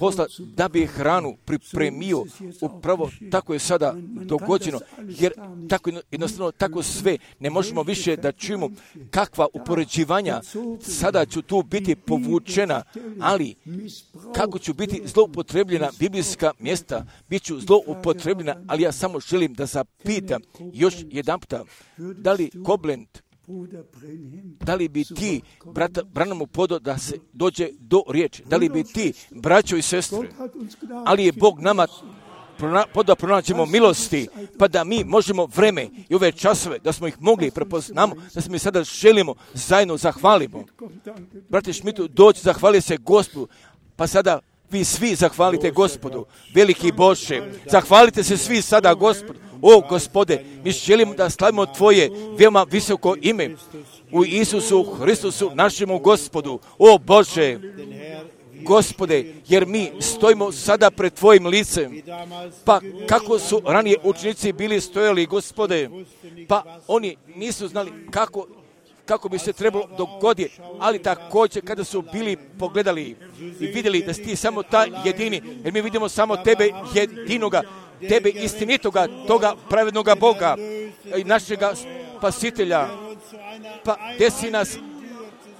posla da bi hranu pripremio. Upravo tako je sada dogođeno, jer tako jednostavno tako sve ne možemo više da čujemo kakva upoređivanja. Sada ću tu biti povučena, ali kako ću biti zloupotrebljena biblijska mjesta, bit ću zloupotrebljena, ali ja samo želim da zapitam još jedanputa, da li Koblenz, da li bi ti, brata Branhamu, podo da se dođe do riječi, da li bi ti, braćo i sestre, ali je Bog nama poda pronađemo milosti, pa da mi možemo vreme i ove časove, da smo ih mogli prepoznamo, da se mi sada želimo zajedno zahvalimo. Brate Šmitu, doći, zahvali se Gospodu, pa sada vi svi zahvalite Gospodu, veliki Bože, zahvalite se svi sada Gospodu. O Gospode, mi želimo da slavimo Tvoje veoma visoko ime u Isusu Hristusu, našemu Gospodu. O Bože, Gospode, jer mi stojimo sada pred Tvojim licem, pa kako su ranije učenici bili stojali, Gospode, pa oni nisu znali kako kako bi se trebalo dogoditi, ali također kada su bili pogledali i vidjeli da si ti samo ta jedini, jer mi vidimo samo tebe jedinoga, tebe istinitoga, toga pravednoga Boga i našega spasitelja, pa gdje si nas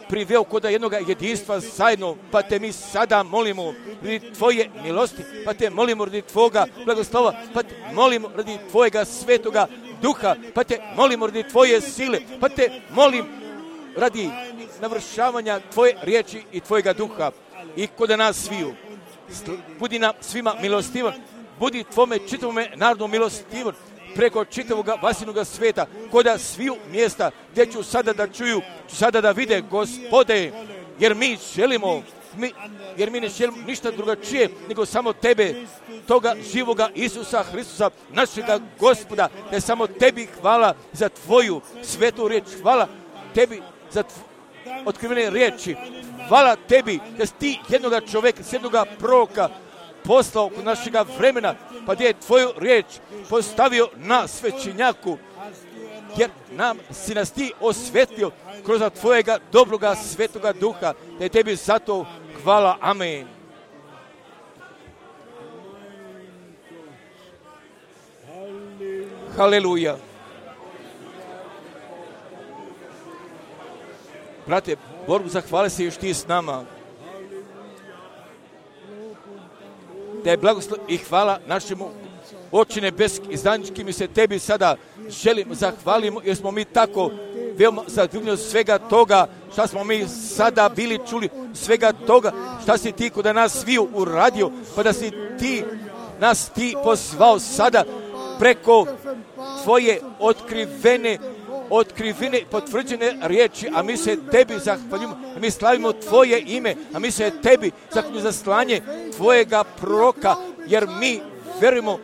priveo kod jednoga jedinstva zajedno, pa te mi sada molimo radi Tvoje milosti, pa te molimo radi Tvoga blagoslova, pa te molimo radi Tvojega svetoga duha, pa te molimo radi Tvoje sile, pa te molim radi navršavanja Tvoje riječi i Tvojega duha i kod nas sviju. Budi nam svima milostivan, budi Tvome čitavome narodu milostivan, preko čitavoga vasinoga sveta, koda sviju mjesta gdje ću sada da čuju, ću sada da vide, Gospode, jer mi želimo, mi, jer mi ne želimo ništa drugačije, nego samo Tebe, toga živoga Isusa Hristusa, našega Gospoda, da je samo Tebi hvala za Tvoju svetu riječ, hvala Tebi za tv... otkrivene riječi, hvala Tebi da si Ti jednoga čovjeka, jednoga proroka poslao kod našega vremena, pa gdje je Tvoju riječ postavio na svećenjaku, jer nam si nas Ti osvetio kroz Tvojega dobroga svetoga duha, da je Tebi zato hvala. Amen. Haleluja. Brate, Bogu zahvali se još Ti s nama. Da je blagoslov i hvala našemu Oče nebeski i zajednički mi se Tebi sada želimo, zahvalimo, jer smo mi tako veoma zadivljeni svega toga šta smo mi sada bili čuli, svega toga šta si Ti kod nas sviju uradio, pa da si Ti nas Ti pozvao sada preko Tvoje otkrivene otkrivene, potvrđene riječi, a mi se Tebi zahvaljujemo, a mi slavimo Tvoje ime, a mi se Tebi zahvaljujemo za slanje Tvojega proroka, jer mi verujemo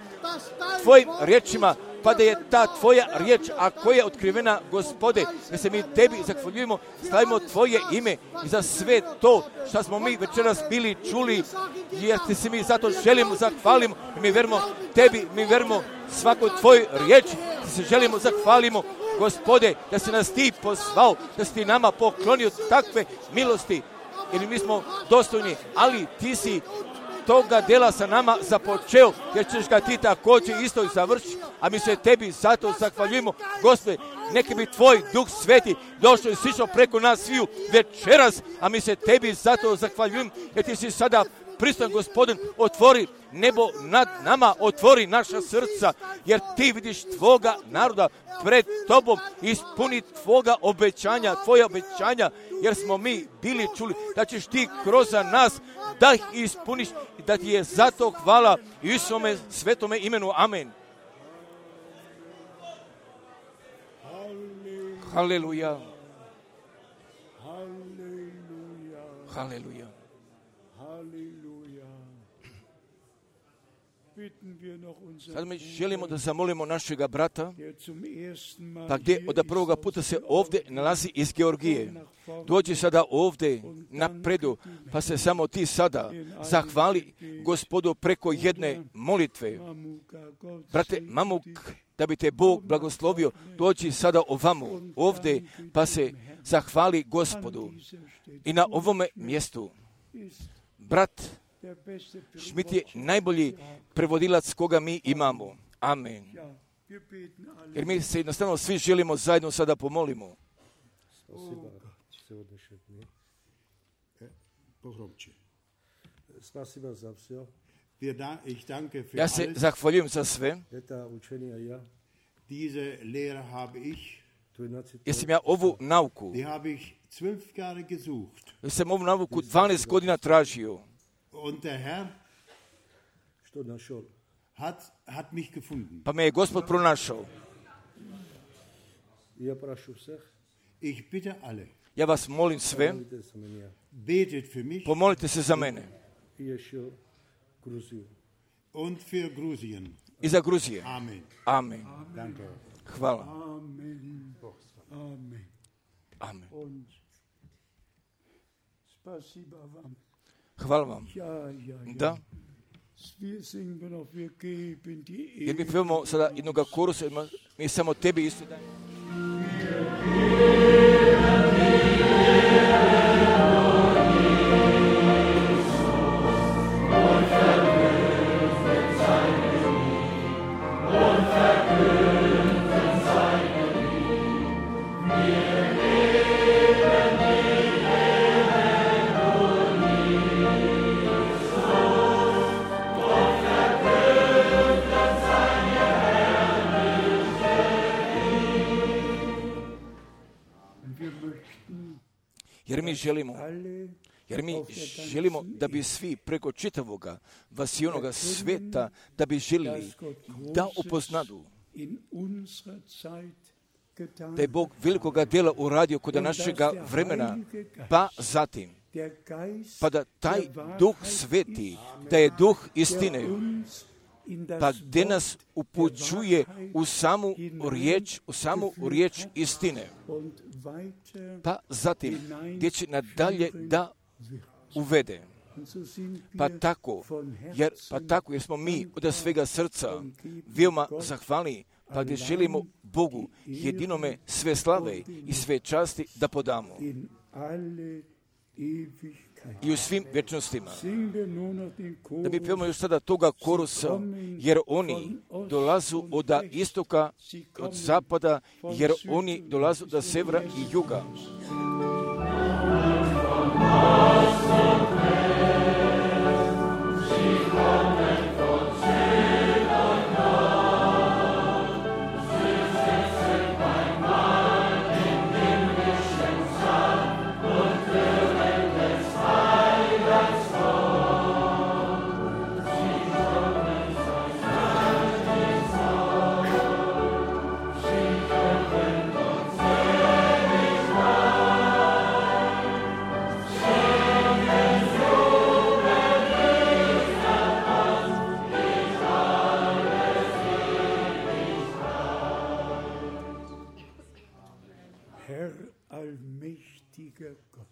Tvojim riječima, pa da je ta Tvoja riječ, a koja je otkrivena, Gospode, da se mi Tebi zahvaljujemo, slavimo Tvoje ime i za sve to što smo mi večeras bili čuli, jer Ti se mi zato želimo, zahvalimo, i mi verujemo Tebi, mi verujemo svakoj Tvojoj riječi, da se želimo, zahvalimo, Gospode, da si nas Ti pozvao, da si Ti nama poklonio takve milosti, jer mi smo dostojni, ali Ti si toga dela sa nama započeo, jer ćeš ga Ti također isto i završiti, a mi se Tebi zato zahvaljujemo, Gospode, neka bi Tvoj Duh Sveti došao i sišao preko nas sviju večeras, a mi se Tebi zato zahvaljujemo, jer Ti si sada pristojan, Gospodin, otvori nebo nad nama, otvori naša srca, jer Ti vidiš Tvoga naroda pred Tobom, ispuni Tvoga obećanja, Tvoja obećanja, jer smo mi bili čuli da ćeš Ti kroz nas da ih ispuniš i da Ti je zato hvala i u svome svetome imenu. Amen. Haleluja. Haleluja. Sad mi želimo da zamolimo našega brata, pa gdje od prvoga puta se ovdje nalazi iz Georgije. Dođi sada ovdje napredu, pa se samo ti sada zahvali Gospodu preko jedne molitve. Brate Mamuk, da bi te Bog blagoslovio, dođi sada ovamo, ovdje, pa se zahvali Gospodu. I na ovome mjestu, brat Schmidt je najbolji prevodilac koga mi imamo. Amen. Jer mi se jednostavno svi želimo zajedno sada pomolimo. Ja se zahvaljujem za sve. Jer sam ja ovu nauku, jer sam ovu nauku dvanaest godina tražio. Pa me je Gospod pronašao. Ja vas molim sve, pomolite se za mene. I za Gruzije. Amen. Hvala. Amen. Hvala vam. Da. Jer mi pevamo sada jednoga korusa, mi samo tebi isto dajemo. Jer mi želimo, jer mi želimo da bi svi preko čitavoga vasijonoga sveta, da bi želili da upoznadu da je Bog velikoga djela uradio kod našega vremena, pa zatim, pa da taj Duh Sveti, da je Duh istine, pa gdje nas upućuje u samu riječ, u samu riječ istine, pa zatim gdje će nadalje da uvede. Pa tako, jer, pa tako jer smo mi od svega srca veoma zahvalni, pa gdje želimo Bogu jedinome sve slave i sve časti da podamo. I u svim vječnostima. Da mi pevamo još sada toga korusa, jer oni dolazu od istoka, od zapada, jer oni dolazu od severa i juga.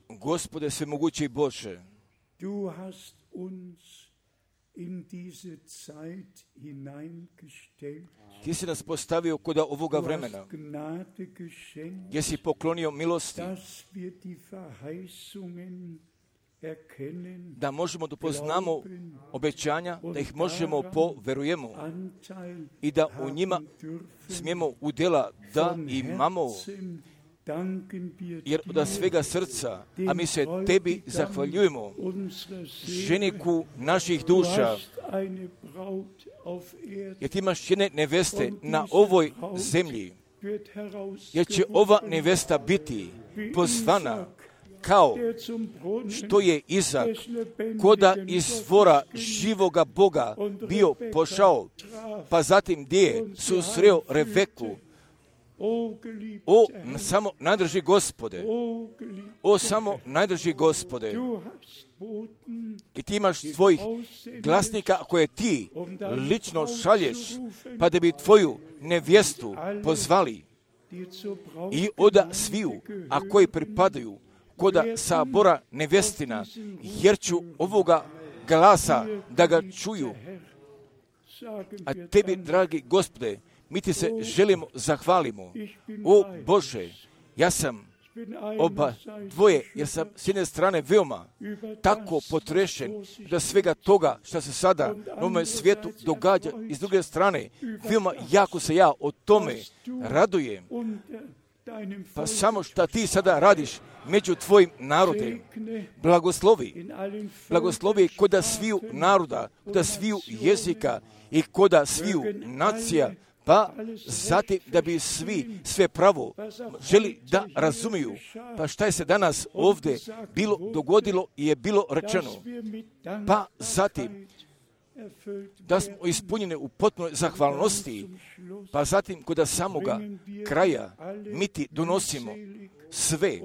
Gospode svemogući Bože, du hast uns in diese Zeit hineingestellt. Ti si nas postavio kod ovoga vremena, gdje si poklonio milosti, da možemo da poznamo obećanja, da ih možemo poverujemo i da u njima smijemo udjela da imamo. Jer od svega srca, a mi se tebi zahvaljujemo, ženiku naših duša, jer ti imaš jedne neveste na ovoj zemlji, jer će ova nevesta biti pozvana kao što je Izak, koda izvora živoga Boga bio pošao, pa zatim gdje je susreo Rebeku. O, samo najdrži Gospode, o, samo najdrži Gospode, i ti imaš svojih glasnika koje ti lično šalješ, pa da bi tvoju nevjestu pozvali i oda sviju, a koji pripadaju koda sabora nevjestina, jer ću ovoga glasa da ga čuju. A tebi, dragi Gospode, mi ti se želimo, zahvalimo. O Bože, ja sam oba dvoje, jer sam s jedne strane veoma tako potrešen da svega toga što se sada na ovom svijetu događa, i s druge strane veoma jako se ja o tome radujem. Pa samo što ti sada radiš među tvojim narodem, blagoslovi, blagoslovi koda sviju naroda, koda sviju jezika i koda sviju nacija, pa zatim da bi svi sve pravo želi da razumiju. Pa šta je se danas ovdje bilo dogodilo i je bilo rečeno. Pa zatim da smo ispunjeni u potpunoj zahvalnosti, pa zatim kod samoga kraja mi ti donosimo sve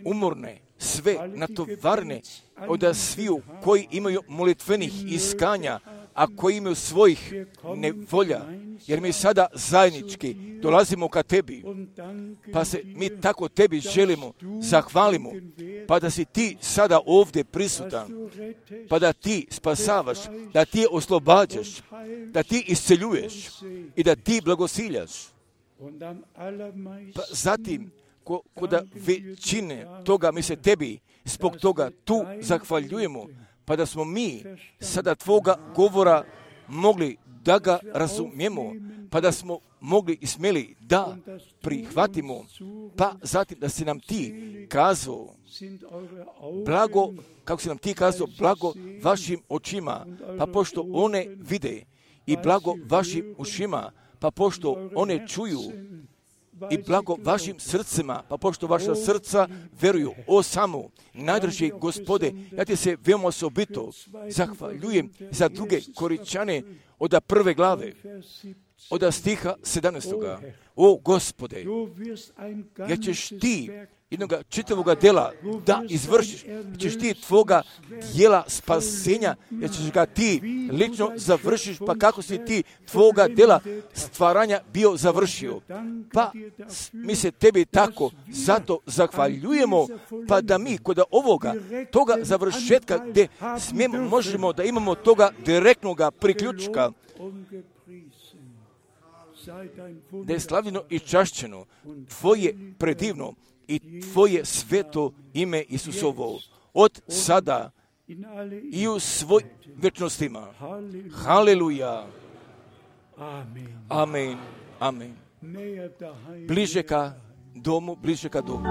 umorne, sve natovarne od sviju koji imaju molitvenih iskanja, a koji imaju svojih nevolja, jer mi sada zajednički dolazimo ka tebi, pa se mi tako tebi želimo, zahvalimo, pa da si ti sada ovdje prisutan, pa da ti spasavaš, da ti oslobađaš, da ti isceljuješ i da ti blagosiljaš. Pa zatim, ko, koda većine toga mi se tebi zbog toga tu zahvaljujemo, pa da smo mi sada tvoga govora mogli da ga razumijemo, pa da smo mogli i smjeli da prihvatimo, pa zatim da si nam ti kazao, blago, kako si nam ti kazao, blago vašim očima, pa pošto one vide, i blago vašim ušima, pa pošto one čuju, i blago vašim srcima, pa pošto vaša srca veruju. O samo, najdrži Gospode, ja ti se veoma osobito zahvaljujem za druge Koričane od prve glave, od stiha sedamnaestoga. O Gospode, jer ćeš ti jednoga čitavoga dela da izvršiš, jer ćeš ti tvoga dijela spasenja, jer ćeš ga ti lično završiš, pa kako si ti tvoga dela stvaranja bio završio. Pa mi se tebi tako zato zahvaljujemo, pa da mi kod ovoga, toga završetka gdje smijemo, možemo da imamo toga direktnoga priključka, da je slavljeno i čašćeno tvoje predivno i tvoje sveto ime Isusovo, od sada i u svoj večnostima. Haleluja. Amen. Amen. Bliže ka domu, bliže ka domu.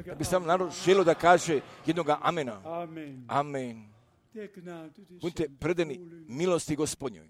Da bi sam narod želio da kaže jednoga amena. Amen. Budite predani milosti Gospodnjoj.